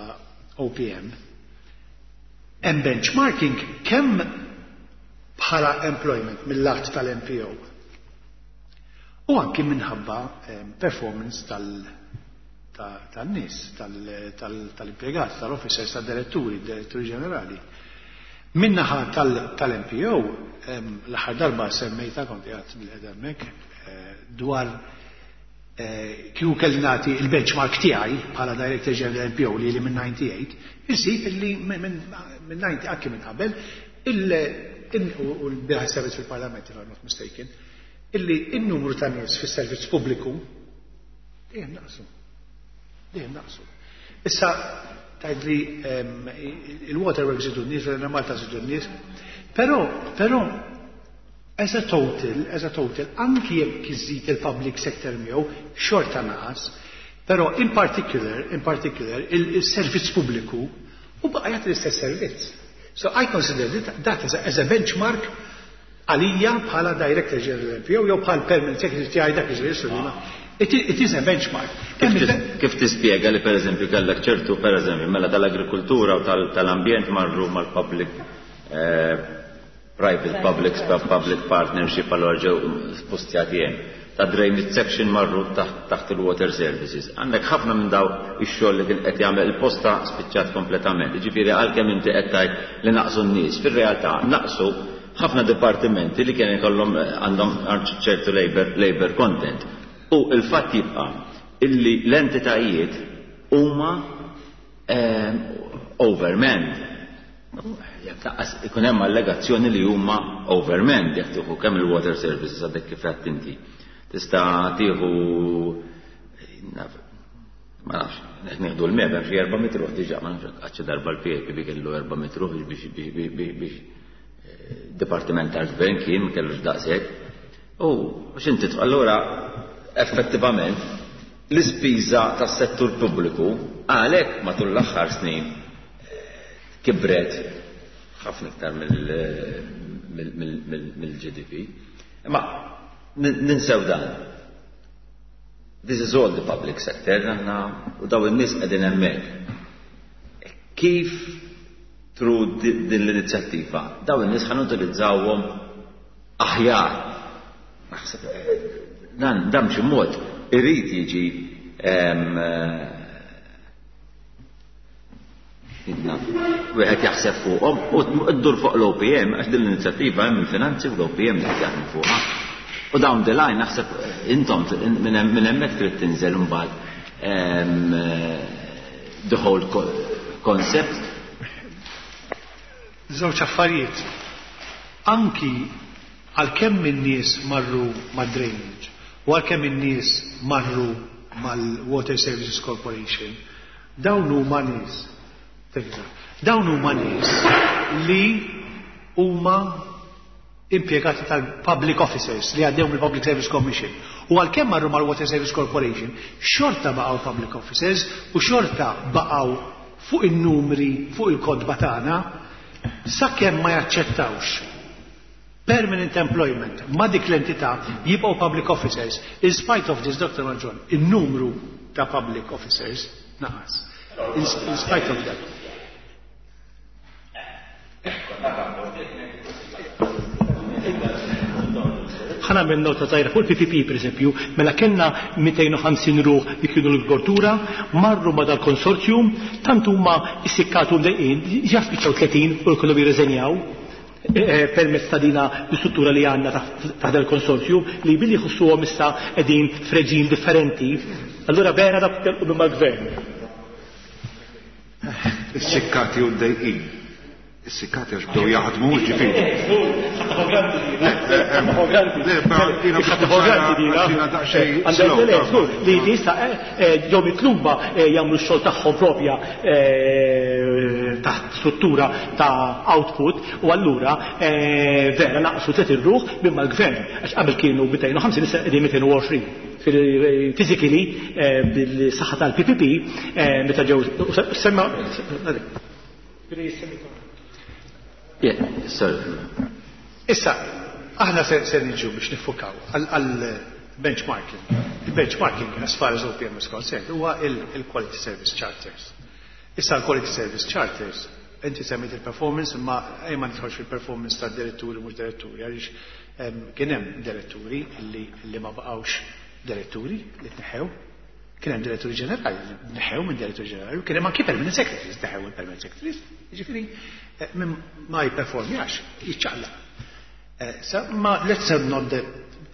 O P M, hemm benchmarking kemm bħala employment mill-lat tal-M P O u anki minħabba performance tal-nies, tal-impjegati, tal-officers, tal-diretturi, diretturi ġenerali. Min-naħa tal-M P O, l-aħħar darba semmejta kont qiegħed bil-qedemmek eh, dwar eh, kieku kelli nagħti il-benchmark tiegħi bħala Director General M P O li li minn disgħa u disgħin, insib illi minn disgħa u disgħin, anki minn qabel, u l-bieraħ servizz fil-Parlament, if I'm not mistaken, illi il-numru ta' nies fis-servizz pubbliku dejjem naqsu. Dejjem naqsu. Issa tgħidli il-waterworks żidu n-nies, l Malta żidu n-nies, però però as a total, as a total, anki jekk iżid il-public sector miegħu, xorta naqas, però in particular, in particular, il-servizz pubbliku u baqa' jagħti l-istess servizz. So I consider that as a, as a benchmark għalija bħala Director General M P O jew bħala Permanent Secretary tiegħi dak iż-żmien. It, it is a benchmark. Kif tispjega li, per eżempju, kellek ċertu, per eżempju, mela tal-agrikultura u tal-ambjent marru mal-public eh, private public public partnership, allora ġew spostjati hemm? Ta' drainage section marru taħt il-water services. Għandek ħafna minn daw ix-xogħol li kien qed jagħmel il-posta spiċċat kompletament. Ġifieri għalkemm inti qed tgħid li naqsu n-nies, fir-realtà naqsu ħafna dipartimenti li kien ikollhom għandhom ċertu labor, labor content. U il-fatt jibqa' illi l-entitajiet huma eh, overmanned. Jekk taqqas ikun hemm allegazzjoni li huma overmanned, jekk tieħu kemm il-water services, għadek kif għedt inti. Tista' tieħu, ma nafx, nieħdu l-MEPA, hemm xi erba' mitt ruħ diġà, ma nafx għadx darba l-P A P kellu erba' mitt ruħ biex biex dipartiment tal-gvern kien ma kellux daqshekk. U x'inti, allura effettivament l-ispiża tas-settur pubbliku għalhekk matul l-aħħar snin kibret. Ħafna iktar mill-G D P. Imma ninsew dan. This is all the public sector, aħna u daw in-nies qegħdin hemmhekk. Kif through din l-inizjattiva daw in-nies ħa nutilizzawhom aħjar? Naħseb dan dan b'xi mod irid jiġi em, wieħed jaħseb fuqhom u ddur fuq l-O P M, għax din l-inizjattiva hemm il-finanzi u l-O P M li qed jaħdmu fuqha. U down the line naħseb intom minn hemmhekk trid tinżel imbagħad the whole concept. Żewġ affarijiet. Anki għalkemm in-nies marru mad-drainage u għalkemm in-nies marru mal-Water Services Corporation, dawn huma nies dawn huma nies li huma impjegati tal-public officers li għaddew mill-Public Service Commission. U għalkemm marru mal-Water Service Corporation, xorta baqgħu public officers u xorta baqgħu fuq in-numri, fuq il-kotba tagħna, sakemm ma jaċċettawx permanent employment ma dik l-entità jibqgħu public officers. In spite of this, Doctor Mangion, il-numru ta' public officers naqas. In, in spite of that. Ħa nagħmel nota żgħira fuq il-P P P, per eżempju, mela kellna mitejn u ħamsin ruħ li kienu l-agrikoltura, marru ma dal-konsorzjum, tant huma issikkatu mdejqin, ġa spiċċaw tletin u l-kollu jirreżenjaw permezz ta' dina l-istruttura li għandna taħt il-konsorzju li billi jħossuhom issa qegħdin f'reġim differenti, allura vera dak telqu mal-gvern. Is-sikkati u d-dejqin. Is-sikkati għax bdew jaħdmu, ġifieri. Li jista ġew mitluba jagħmlu x-xogħol tagħhom propja taħt struttura ta' output u allura vera naqsu tliet irruħ minn mal-gvern, għax qabel kienu mitejn u ħamsin, issa qegħdin mitejn u għoxrin. Physically, bil-saħħa tal-P P P, meta ġew semma. Yeah, sorry. Issa, aħna se, se niġu biex nifukaw għal benchmarking. Il-benchmarking, as far as O P M is concerned, huwa il-Quality Service Charters. Issa l-Quality Service Charters, inti semmejt il-performance, imma ejja ma nidħolx fil-performance ta' diretturi, mhux diretturi, għaliex kien hemm diretturi li, li ma baqgħux diretturi, li tneħħew, kien hemm diretturi ġenerali li tneħħew minn diretturi ġenerali, kien hemm anki permanent secretaries, tneħħew il-permanent secretaries, jiġifieri min ma jipperformjax, jiċċaqlaq. So, ma let's not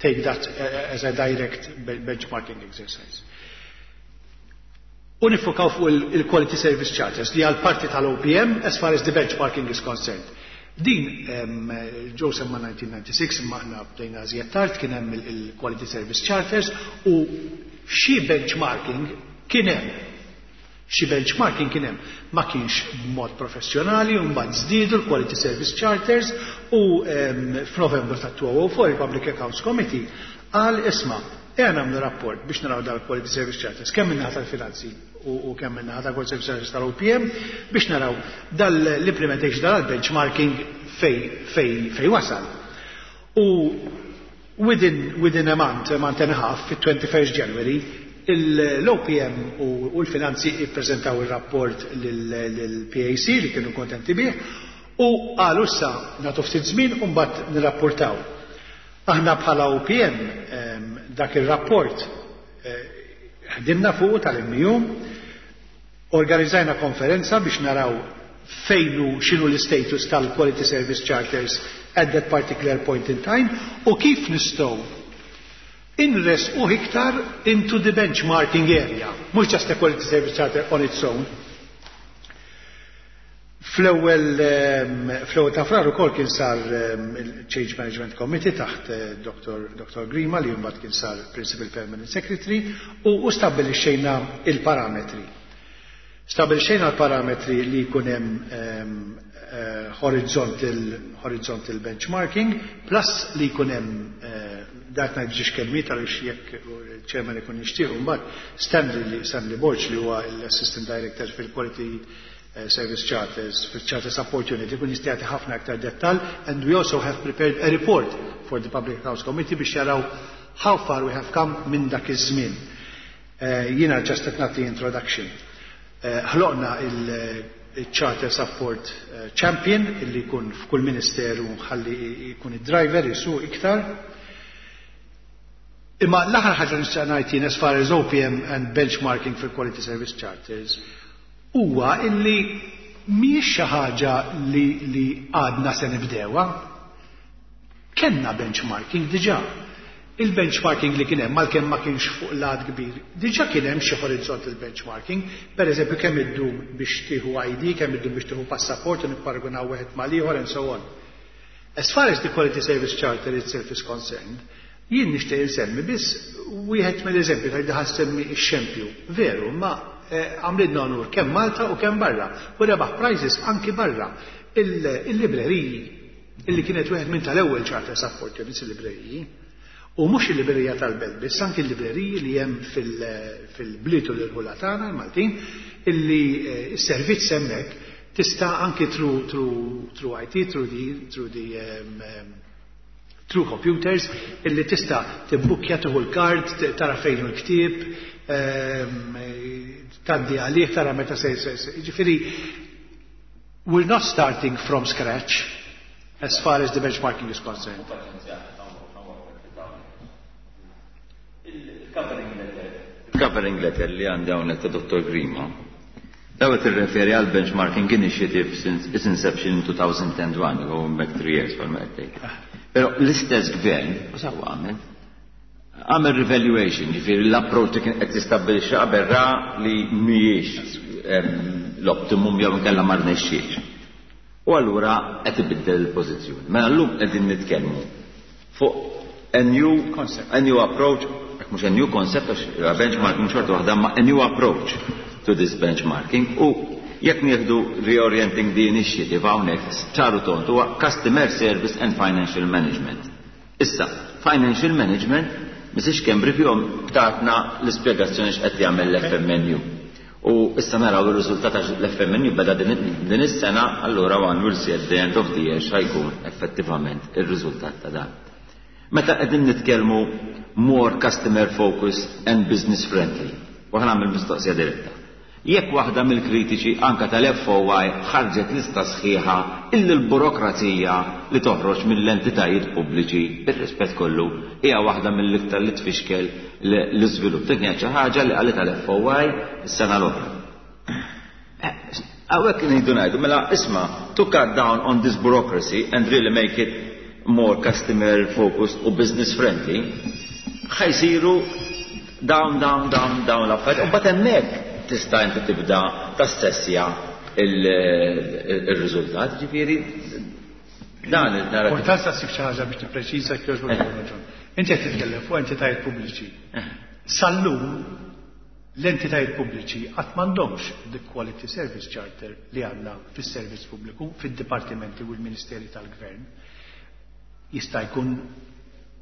take that as a direct benchmarking exercise. U nifukaw fuq il-Quality Service Charters li għal parti tal-O P M as far as the benchmarking is concerned. Din ġew semma elf disa' mija u disgħa u disgħin, imma aħna bdejna żjed tard, kien hemm il-Quality Service Charters u xi benchmarking kien hemm. Xi benchmarking kien hemm, ma kienx b'mod professjonali, u mbagħad żdiedu l-Quality Service Charters u f'Novembru ta' elfejn u erbgħa il-Public Accounts Committee qal: "Isma', ejja nagħmlu rapport biex naraw dal-Quality Service Charters kemm min-naħa tal-finanzi u kemm min-naħa tal-Quality Service Charters tal-O P M biex naraw dal-implementation dal-benchmarking fej fej fej wasal." U within, within a month, a month and a half, fit-twenty-first January, l-O P M u l-finanzi ippreżentaw il-rapport l-P A C li kienu kontenti bih u qalu: "Issa nagħtu ftit żmien u mbagħad nirrapportaw." Aħna bħala O P M dak il-rapport ħdimna fuq tal-M U, organizzajna konferenza biex naraw fejnu x'inhu l-status tal-Quality Service Charters at that particular point in time u kif nistgħu inressqu iktar into the benchmarking area, mhux just a Quality Service Charter on its own. Fl-ewwel fl-ewwel ta' Frar ukoll kien sar il-Change Management Committee taħt Doctor Doctor Grima, li mbagħad kien sar Principal Permanent Secretary, u, u stabbilixxejna il-parametri. Stabbilixxejna l-parametri li jkun hemm horizontal, horizontal benchmarking plus li jkun hemm, dat ngħid żewġ kelmiet għaliex jekk il-chairman ikun jixtieq mbagħad, Stanley Stanley Borg, li huwa l-Assistant Director fil-Quality Service Charters, fil-Charter Support Unit, ikun jista' jagħti ħafna aktar dettal, and we also have prepared a report for the Public Accounts Committee biex jaraw how far we have come minn dak iż-żmien. Jiena just qed nagħti introduction. Ħloqna il-Charter Support Champion illi jkun f'kull ministeru ħalli jkun id-driver jisuq iktar. Imma l-aħħar ħaġa nixtieq ngħid jien as far as O P M and benchmarking for quality service charters huwa illi mhijiex xi ħaġa li, li għadna se nibdewha. Kenna benchmarking diġà. Il-benchmarking li kien hemm, għalkemm ma kienx fuq lat kbir, diġà kien hemm xi horizontal benchmarking, per eżempju kemm iddum biex tieħu I D, kemm iddum biex tieħu passaport u nipparagunaw wieħed mal-ieħor and so on. As far as the Quality Service Charter itself is concerned, jien nixtieq insemmi biss wieħed mill-eżempju ta' ħa nsemmi x-xempju. Veru, ma għamlilna onur kemm Malta u kemm barra. U rebaħ prizes anki barra. Il-libreriji, illi kienet wieħed minn tal-ewwel charter support units, il-libreriji, u mhux il-librerija tal-Belt biss, anki il-libreriji li hemm fil-bliet u l-irħula tagħna l-Maltin, illi s-servizz hemmhekk tista' anki through, through, through I T, through the, through the um, um, through computers, illi tista' tibbukkja, tieħu l-kard, tara fejn hu l-ktieb, tgħaddi għalih, tara meta se se. Ġifieri, we're not starting from scratch as far as the benchmarking is concerned. Il-covering letter li għandi hawnhekk ta' Dottor Grima, daw qed tirreferi għal benchmarking initiative since its inception in two thousand and one, going back three years bħalma qed tgħid. Però l-istess gvern, u sawa għamel, għamel revaluation, ġifieri l-approach li kien qed tistabbilixxi qabel ra li mhijiex l-optimum jew inkella ma rnexxiex. U allura qed ibiddel il-pożizzjoni. Mela llum qegħdin nitkellmu fuq a new concept, a new approach, mhux a new concept għax benchmarking xorta waħda, ma a new approach to this benchmarking. U jekk nieħdu reorienting the initiative hawnhekk, ċaru tond huwa customer service and financial management. Issa, financial management, Missus Schembri fihom tatna l-ispjegazzjoni x'qed jagħmel l-F M N U. U issa naraw ir-riżultat għax l-F M N U beda din is-sena, allura one will see at the end of the year x'ħajkun effettivament ir-riżultat ta' dan. Meta qegħdin nitkellmu more customer focused and business friendly, u ħa nagħmel mistoqsija diretta. Jekk waħda mill-kritiċi anka tal-F O I ħarġet lista sħiħa illi l-burokrazija li toħroġ mill-entitajiet pubbliċi, bir-rispett kollu, hija waħda mill-iktar li tfixkel l-iżvilupp. Dik hija xi ħaġa li qalet tal-F O I s-sena l-oħra. Hawnhekk ngħidu ngħidu, mela isma', to cut down on this bureaucracy and really make it more customer focused u business friendly, ħa jsiru dawn, dawn, dawn, dawn l-affarijiet. U mbagħad hemmhekk tista' inti tibda tassessja il-riżultat, ġifieri dan il-narrativ. Importanza ssib xi ħaġa biex tippreċiża kif raġun. Inti qed titkellem fuq entitajiet pubbliċi. Sal-lum l-entitajiet pubbliċi qatt m'għandhomx the Quality Service Charter li għandna fis-servizz pubbliku, fid-dipartimenti u l-ministeri tal-gvern. Jista' jkun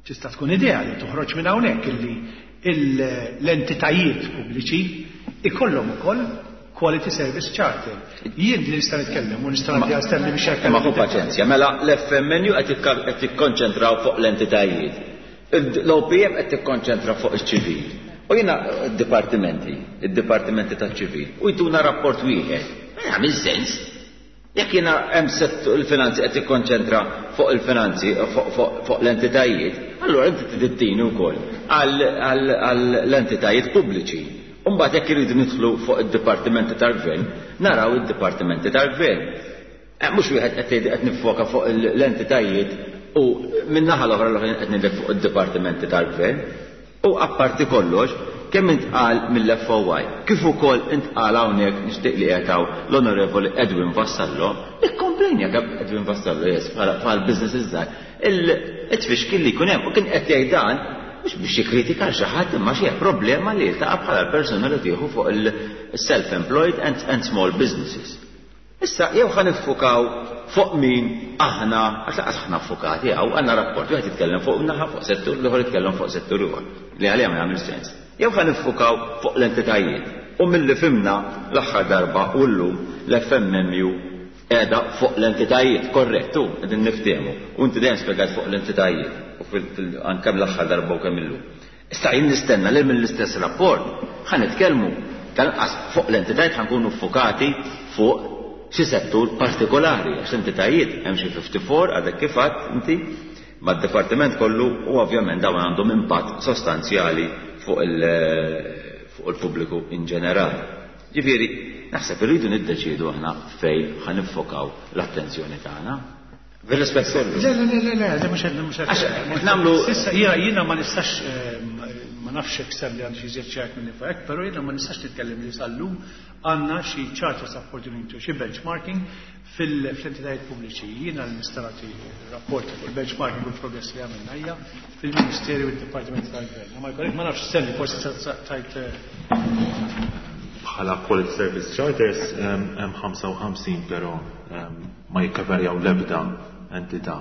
tista' tkun idea li toħroġ minn hawnhekk illi l-entitajiet pubbliċi ikollhom ukoll Quality Service Charter. Jien li nista' nitkellem u nista' nagħti għal Stanley biex Ma hu paċenzja, mela l-F M N U qed tikkonċentraw fuq l-entitajiet. L-O P M qed tikkonċentra fuq iċ-ċivil. U jiena d-dipartimenti, id-dipartimenti taċ-ċivil, u jtuna rapport wieħed. Ma jagħmel sens. Jekk jiena hemm il-finanzi qed tikkonċentra fuq il-finanzi, fuq l-entitajiet, allura inti tittini wkoll għall-entitajiet pubbliċi. Umbagħad jekk iridu nidħlu fuq id-dipartimenti tal-gvern, naraw id-dipartimenti tal-gvern. Mhux wieħed qed qed nifoka fuq l-entitajiet u min-naħa l-oħra l-oħra qed ngħidlek fuq id-dipartimenti tal-gvern. U apparti kollox, kemm intqal mill-F O I, kif ukoll intqal hawnhekk, nixtieq li qed l-Onorevoli Edwin Vassallo, ikkomplejnja kemm Edwin Vassallo, yes, bħal business iżgħar. Il-tfixkil li jkun hemm, u kien qed jgħid dan mhux biex jikkritika xi ħadd, imma xi problema li jiltaqa' bħala persuna li tieħu fuq il-self-employed and, and small businesses. Issa, jew ħa niffukaw fuq min aħna, għax laqas aħna ffukati hawn, għandna rapport, wieħed jitkellem fuq naħa, fuq settur, l-ieħor jitkellem fuq settur ieħor, li għalija ma jagħmel sens. Jew ħa niffukaw fuq l-entitajiet. U milli fhimna l-aħħar darba u llum l-F M M U qiegħda fuq l-entitajiet, korrettu, qegħdin niftehmu. U inti dejjem spjegat fuq l-entitajiet u anke l-aħħar darba u kemm illum. Issa jien nistenna li mill-istess rapport ħa nitkellmu tal-qas fuq l-entitajiet, ħa nkunu ffukati fuq xi settur partikolari, għax l-entitajiet hemm xi ħamsa u ħamsin għadek kif inti mad-dipartiment kollu u ovvjament dawn għandhom impatt sostanzjali fuq il-pubbliku in ġenerali. Ġifieri, naħseb irridu niddeċiedu aħna fejn ħa niffokaw l-attenzjoni tagħna. Bil-rispett kollu. Le, le, le, le, le, mhux mhux nagħmlu. Issa jiena jiena ma nistax, ma nafx hekk li għandu xi żjed ċert minn hekk, però jiena ma nistax nitkellem li sal-lum għandna xi charter support unit u xi benchmarking fil-entitajiet pubbliċi. Jiena li nista' nagħti rapport fuq il-benchmarking u l-progress li għamilna hija fil-Ministeri u d-Dipartimenti tal-Gvern. Ma jkollek, ma nafx stenni, forsi tajt. Bħala Quality Service Charters hemm ħamsa u ħamsin, però ma jikkaverjaw l-ebda entità.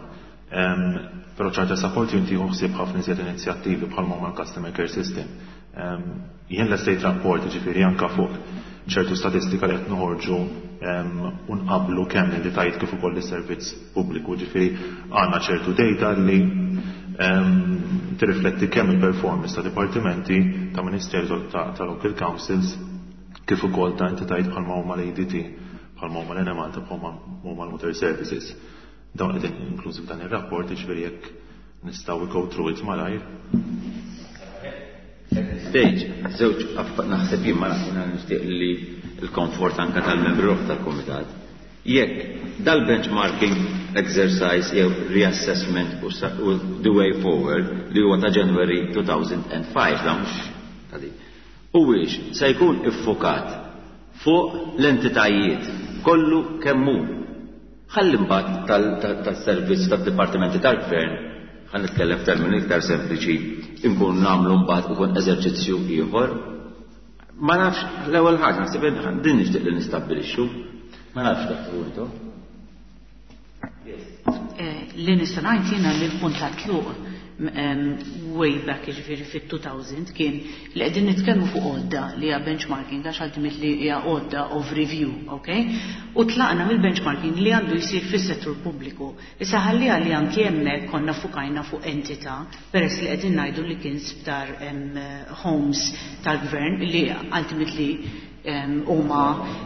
Però Charter Support Unit jieħu ħsieb ħafna iżjed inizjattivi bħal ma l-Customer Care System. Jien l-estate rapport, ġifieri anka fuq ċertu statistika li qed noħorġu u nqablu kemm l-entitajiet kif ukoll is-servizz pubbliku, ġifieri għandna ċertu data li tirrifletti kemm il-performance ta' dipartimenti, ta' ministeru, ta' local councils, kif ukoll ta' entitajiet bħalma huma l-A D T, bħalma huma l-Enemalta, bħalma huma l-Water Services. Dawn qegħdin inklużi f'dan ir-rapport, jiġifieri jekk nistgħu go through it malajr. Stage, żewġ naħseb jien ma nixtieq li l-komfort anka tal-membri tal-komitat. Jekk dal-benchmarking exercise jew reassessment u the way forward li huwa ta' January elfejn u ħamsa, la mhux ta' di. Huwiex se jkun iffokat fuq l-entitajiet kollu kemm hu. Ħalli mbagħad tas-servizz tad-dipartimenti tal-gvern, ħa nitkellem f'termini iktar sempliċi, inkun nagħmlu mbagħad ikun eżerċizzju ieħor. Ma nafx, l-ewwel ħaġa naħseb din nixtieq li nistabbilixxu. Ma nafx dak intu. Li nista' ngħid jiena li l-punt ta' tluq way back, jiġifieri fit-elfejn, kien li qegħdin nitkellmu fuq għodda li hija benchmarking, għax ultimately hija għodda of review, okay? U tlaqna mill-benchmarking li għandu jsir fis-settur pubbliku. Issa ħalli li anki hemmhekk konna fukajna fuq entità, peress li qegħdin ngħidu li kien sptar, homes tal-gvern li ultimately huma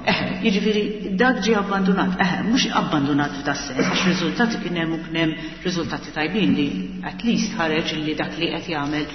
eh, jiġifieri dak ġie abbandonat, eh, mhux abbandonat f'da sens, għax riżultati kien hemm u kien hemm riżultati tajbin li at least ħareġ li dak li qed jagħmel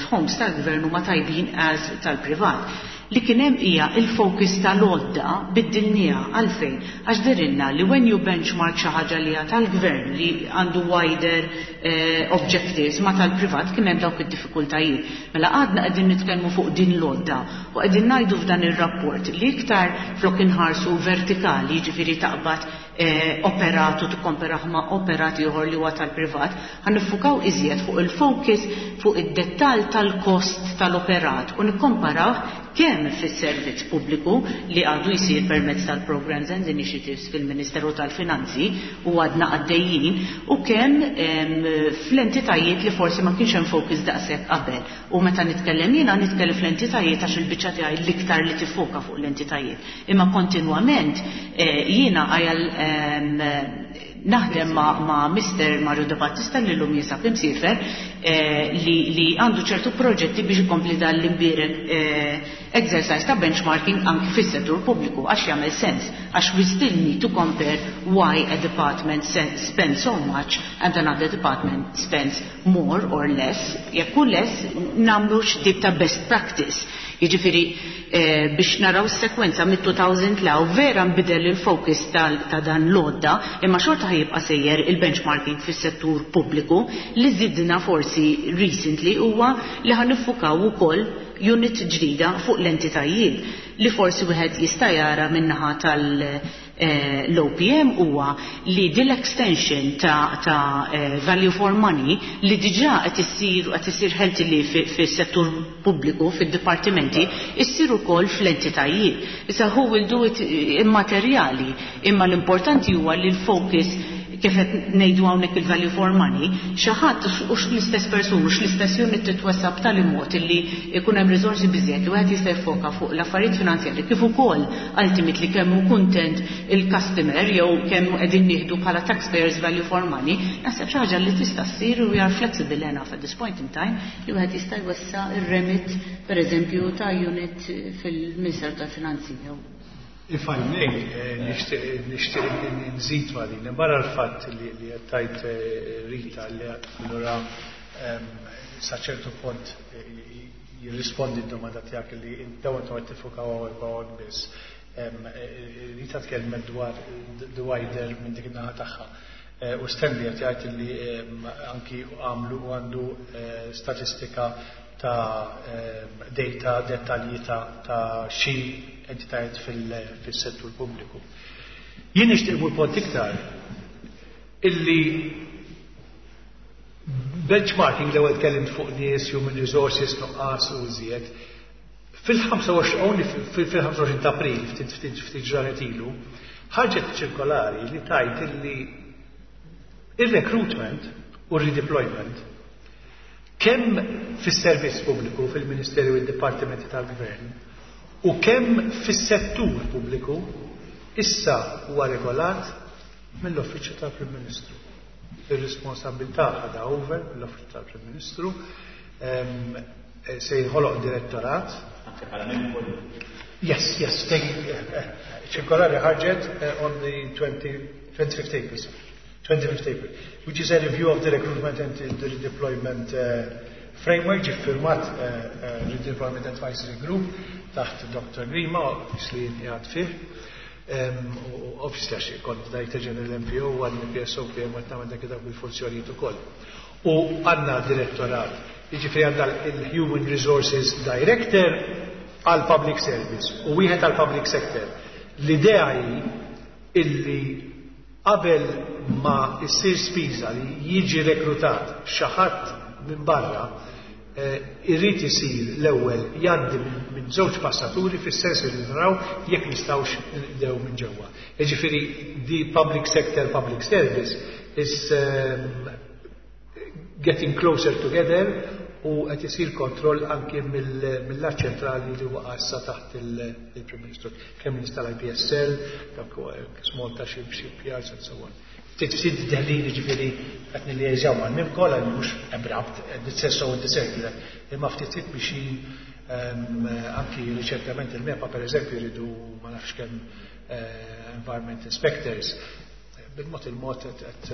f'homes tal-gvern huma tajbin as tal-privat. Li kien hemm hija il-focus tal-għodda biddilniha. Għalfejn? Għax dehrilna li when you benchmark xi ħaġa li hija tal-gvern li għandu wider eh, objectives ma tal-privat, kien hemm dawk id-diffikultajiet. Mela għadna qegħdin nitkellmu fuq din l-għodda u qegħdin ngħidu f'dan ir-rapport li iktar flok inħarsu vertikali, jiġifieri taqbad eh, operat u tikkomparah ma' operat ieħor li huwa tal-privat, ħa niffukaw iżjed fuq il-focus fuq id-dettall tal-kost tal-operat u nikkomparaw kemm fis-servizz pubbliku li għadu jsir permezz tal-Programs and Initiatives fil-Ministeru tal-Finanzi u għadna għaddejjin u kemm fl-entitajiet li forsi ma kienx hemm focus daqshekk qabel. U meta nitkellem jiena, nitkellem fl-entitajiet għax il-biċċa tiegħi l-iktar li tifoka fuq l-entitajiet. Imma kontinwament eh, jiena għajal naħdem ma', ma Mister Mario De Battista li l-lum jinsab imsiefer eh, li, li għandu ċertu proġetti biex ikompli dan l-imbierek eh, exercise ta' benchmarking anki fis-settur pubbliku, għax jagħmel sens, għax we still need to compare why a department spends so much and another department spends more or less. Jekk hu less, nagħmlu x'tip ta' best practice. Jiġifieri eh, biex naraw sekwenza mit-elfejn law vera nbidel il-focus ta' dan l-għodda, imma xorta ħa jibqa' sejjer il-benchmarking fis-settur pubbliku. Li żidna forsi recently huwa li ħa niffukaw ukoll unit ġdida fuq l-entitajiet. Li forsi wieħed jista' jara min-naħa tal- eh, l-O P M huwa li din l-extension ta', ta eh, value for money li diġà qed issir qed issir healthily fis-settur pubbliku, fid-dipartimenti, issir ukoll fl-entitajiet. Issa who will do it immaterjali, imma l-importanti huwa li l-focus kif qed ngħidu hawnhekk il-value for money, xi ħadd u l-istess persuna u l-istess unit titwessa' b'tali mod illi jkun hemm riżorsi biżejjed li wieħed jista' jfoka fuq l-affarijiet finanzjarji kif ukoll ultimately kemm hu kuntent il-customer jew kemm qegħdin nieħdu bħala taxpayers value for money, naħseb xi ħaġa li tista' ssir u we are flexible enough at this point in time li wieħed jista' jwessa' ir-remit pereżempju ta' unit fil-Ministeru tal-Finanzi jew. If I may, nixtieq nixtieq nżid ma' din. Barra l-fatt li li qed tgħid Rita li allura sa ċertu punt jirrispondi d-domanda tiegħek li dawn intom qed tiffukaw hawnhekk hawn biss. Rita tkellmet dwar the wider minn dik in-naħa tagħha. U Stanley qed jgħid li anki għamlu u għandu statistika ta' data dettalji ta' ta' xi entitajiet fil-settur pubbliku. Jien nixtieq immur punt iktar illi benchmarking, l-ewwel tkellimt fuq nies, human resources, nuqqas u iżjed. Fil-ħamsa u għoxrin ta' April, ftit ftit ftit ġranet ilu, ħarġet ċirkolari li tgħid illi il-recruitment u redeployment kemm fis-servizz pubbliku, fil-Ministeri u d-Dipartimenti tal-Gvern, u kemm fis-settur pubbliku issa huwa regolat mill-Uffiċċju tal-Prim Ministru. Ir-responsabilità ħadha over mill-Uffiċċju tal-Prim Ministru, se jinħoloq direttorat. Yes, yes, ċirkolari ħarġet on the twenty, twenty-fifth April, twenty-fifth April, which is a review of the recruitment and the redeployment uh, framework, ġie ffirmat uh, uh, Redeployment Advisory Group taħt Doctor Grima, obviously jgħad fih. U obviously għax kont Director General M P O u għadni P S O P M għad nagħmel dak dak bil-funzjonijiet ukoll. U għandna direttorat, jiġifieri għandna il-Human Resources Director għal Public Service u wieħed għal Public Sector. L-idea hi illi qabel ma issir spiża li jiġi rekrutat xi ħadd minn barra, irrid isir l-ewwel jgħaddi minn żewġ passaturi fis-sens li naraw jekk nistgħux nibdew minn ġewwa. Jiġifieri the public sector, public service is um, getting closer together u qed isir kontroll anki mill-lat ċentrali li waqa' issa taħt il-Prim Ministru. Kemm nies tal-I P S L, dak small ta' ship shipyards and so on. Ftit ftit deħlin, ġifieri qed nilliażjaw mal-MIMCOL għal mhux abrupt, the so the circular, imma ftit ftit biex anki riċentament il-MEPA per eżempju jridu ma nafx kemm environment inspectors. Bil-mod il-mod qed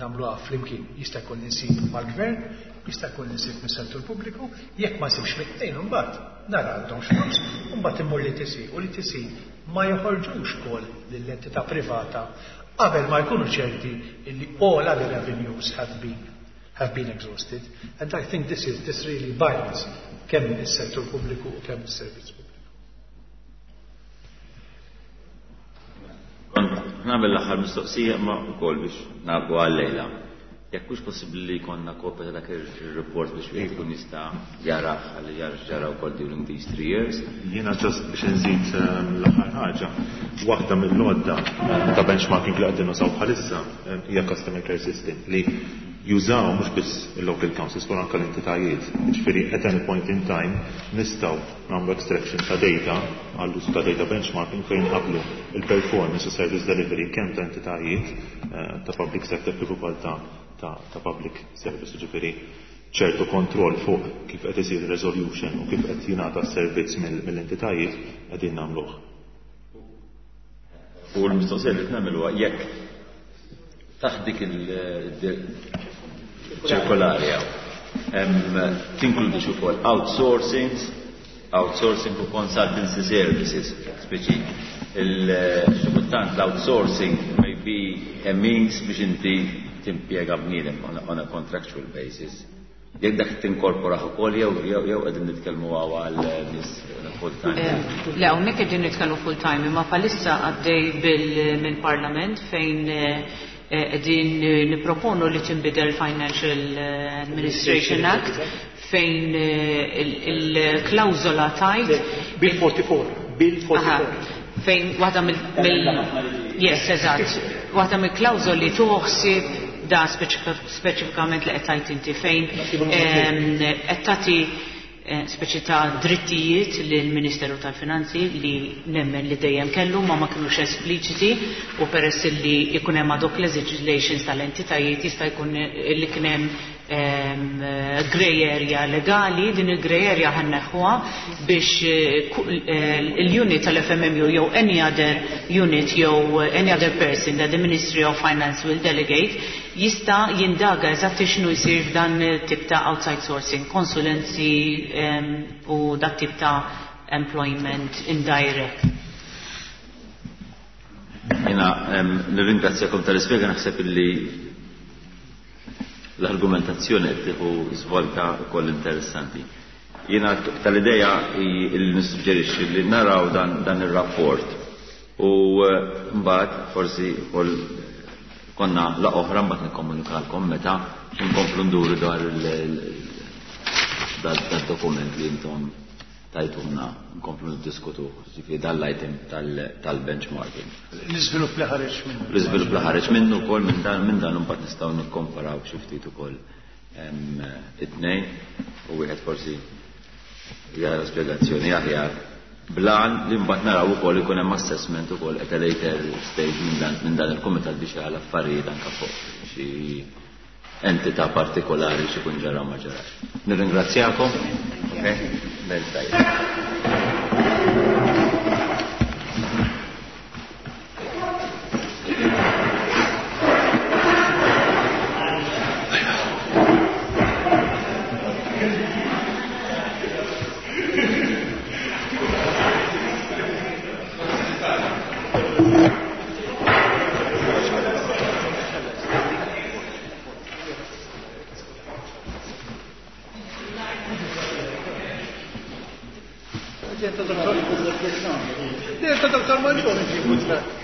nagħmluha flimkien. Jista' jkun insib mal-gvern, jista' jkun insib mis-settur pubbliku, jekk ma nsibx mit-tnejn imbagħad nara għandhom flus, imbagħad immur l-E T C u l-E T C ma joħorġux kol lill-entità privata qabel ma jkunu ċerti illi all other avenues have been have been exhausted. And I think this is this really binds kemm is-settur pubbliku u kemm is-servizz pubbliku. Nagħmel l-aħħar mistoqsija ma wkoll biex nagħlqu għal-lejla. Jekk hux possibbli li jkollna kopja ta' dak ir-report biex wieħed ikun jista' jara ħalli jara x'ġara wkoll during these three years. Jiena just biex nżid l-aħħar ħaġa, waħda mill-għodda ta' benchmarking li qegħdin nużaw bħalissa hija customer care system li jużaw mhux biss il-local councils però anke l-entitajiet. Ġifieri at any point in time nistgħu nagħmlu extraction ta' data għall-użu ta' data benchmarking fejn qablu il-performance u service delivery kemm ta' entitajiet ta' public sector kif ukoll ta' ta', ta public service, ġifieri ċertu kontroll fuq kif qed isir resolution u kif qed jingħata s-servizz mill-entitajiet qegħdin nagħmluh. U l-mistoqsija li nagħmel huwa jekk taħt dik il-ċirkolari tinkludi ukoll outsourcing, outsourcing u consultancy services, speċi il-xi kultant l-outsourcing may be a means biex inti timpjega bniedem on, on a contractual basis. Jekk dak tinkorporah ukoll jew jew jew qegħdin nitkellmu għal nies full time. Le, hawnhekk qegħdin nitkellmu full time, imma bħalissa għaddej bil mill-Parlament fejn qegħdin nipproponu li tinbidel Financial Administration Act fejn il-klawżola tgħid Bill forty-four. Bill forty-four. Fejn waħda mill. Yes, eżatt. Waħda mill-klawżoli tuħsib da speċifikament li qed tgħid inti fejn qed tagħti speċi ta' drittijiet lill-Ministeru tal-Finanzi li nemmen li dejjem kellu ma ma kinux espliċiti, u peress li jkun hemm ad hoc legislations tal-entitajiet jista' jkun li kien hemm grey area legali. Din il-grey area ħa nneħħuha biex il-unit tal-F M M U jew any other unit jew any other person that the Ministry of Finance will delegate jista' jindaga eżatt x'inhu jsir f'dan tip ta' outside sourcing, konsulenzi u dak tip ta' employment indirect. Jena nirringrazzjakom tal-ispjega, naħseb illi l-argumentazzjoni qed tieħu żvolta wkoll interessanti. Jiena tal-idea li nissuġġerixxi li naraw dan, dan ir-rapport u mbagħad forsi wkoll konna la oħra mbagħad nikkomunikalkom meta nkomplu nduru dwar dal-dokument li intom tajtuna nkomplu niddiskutu, ġifieri dan l-item tal-benchmarking. L-iżvilupp li ħareġ minnu. L-iżvilupp li ħareġ minnu wkoll minn dan, minn dan imbagħad nistgħu nikkomparaw xi ftit ukoll it-tnejn u wieħed forsi jara spjegazzjoni aħjar blan li mbagħad naraw ukoll ikun hemm assessment ukoll at a later stage minn dan, minn dan il-kumitat biex jara l-affarijiet anke fuq xi entità partikolari xi jkun ġara ma ġarax. Nirringrazzjakom. Okay? Bel tajjeb. Detta Doctor Mangione.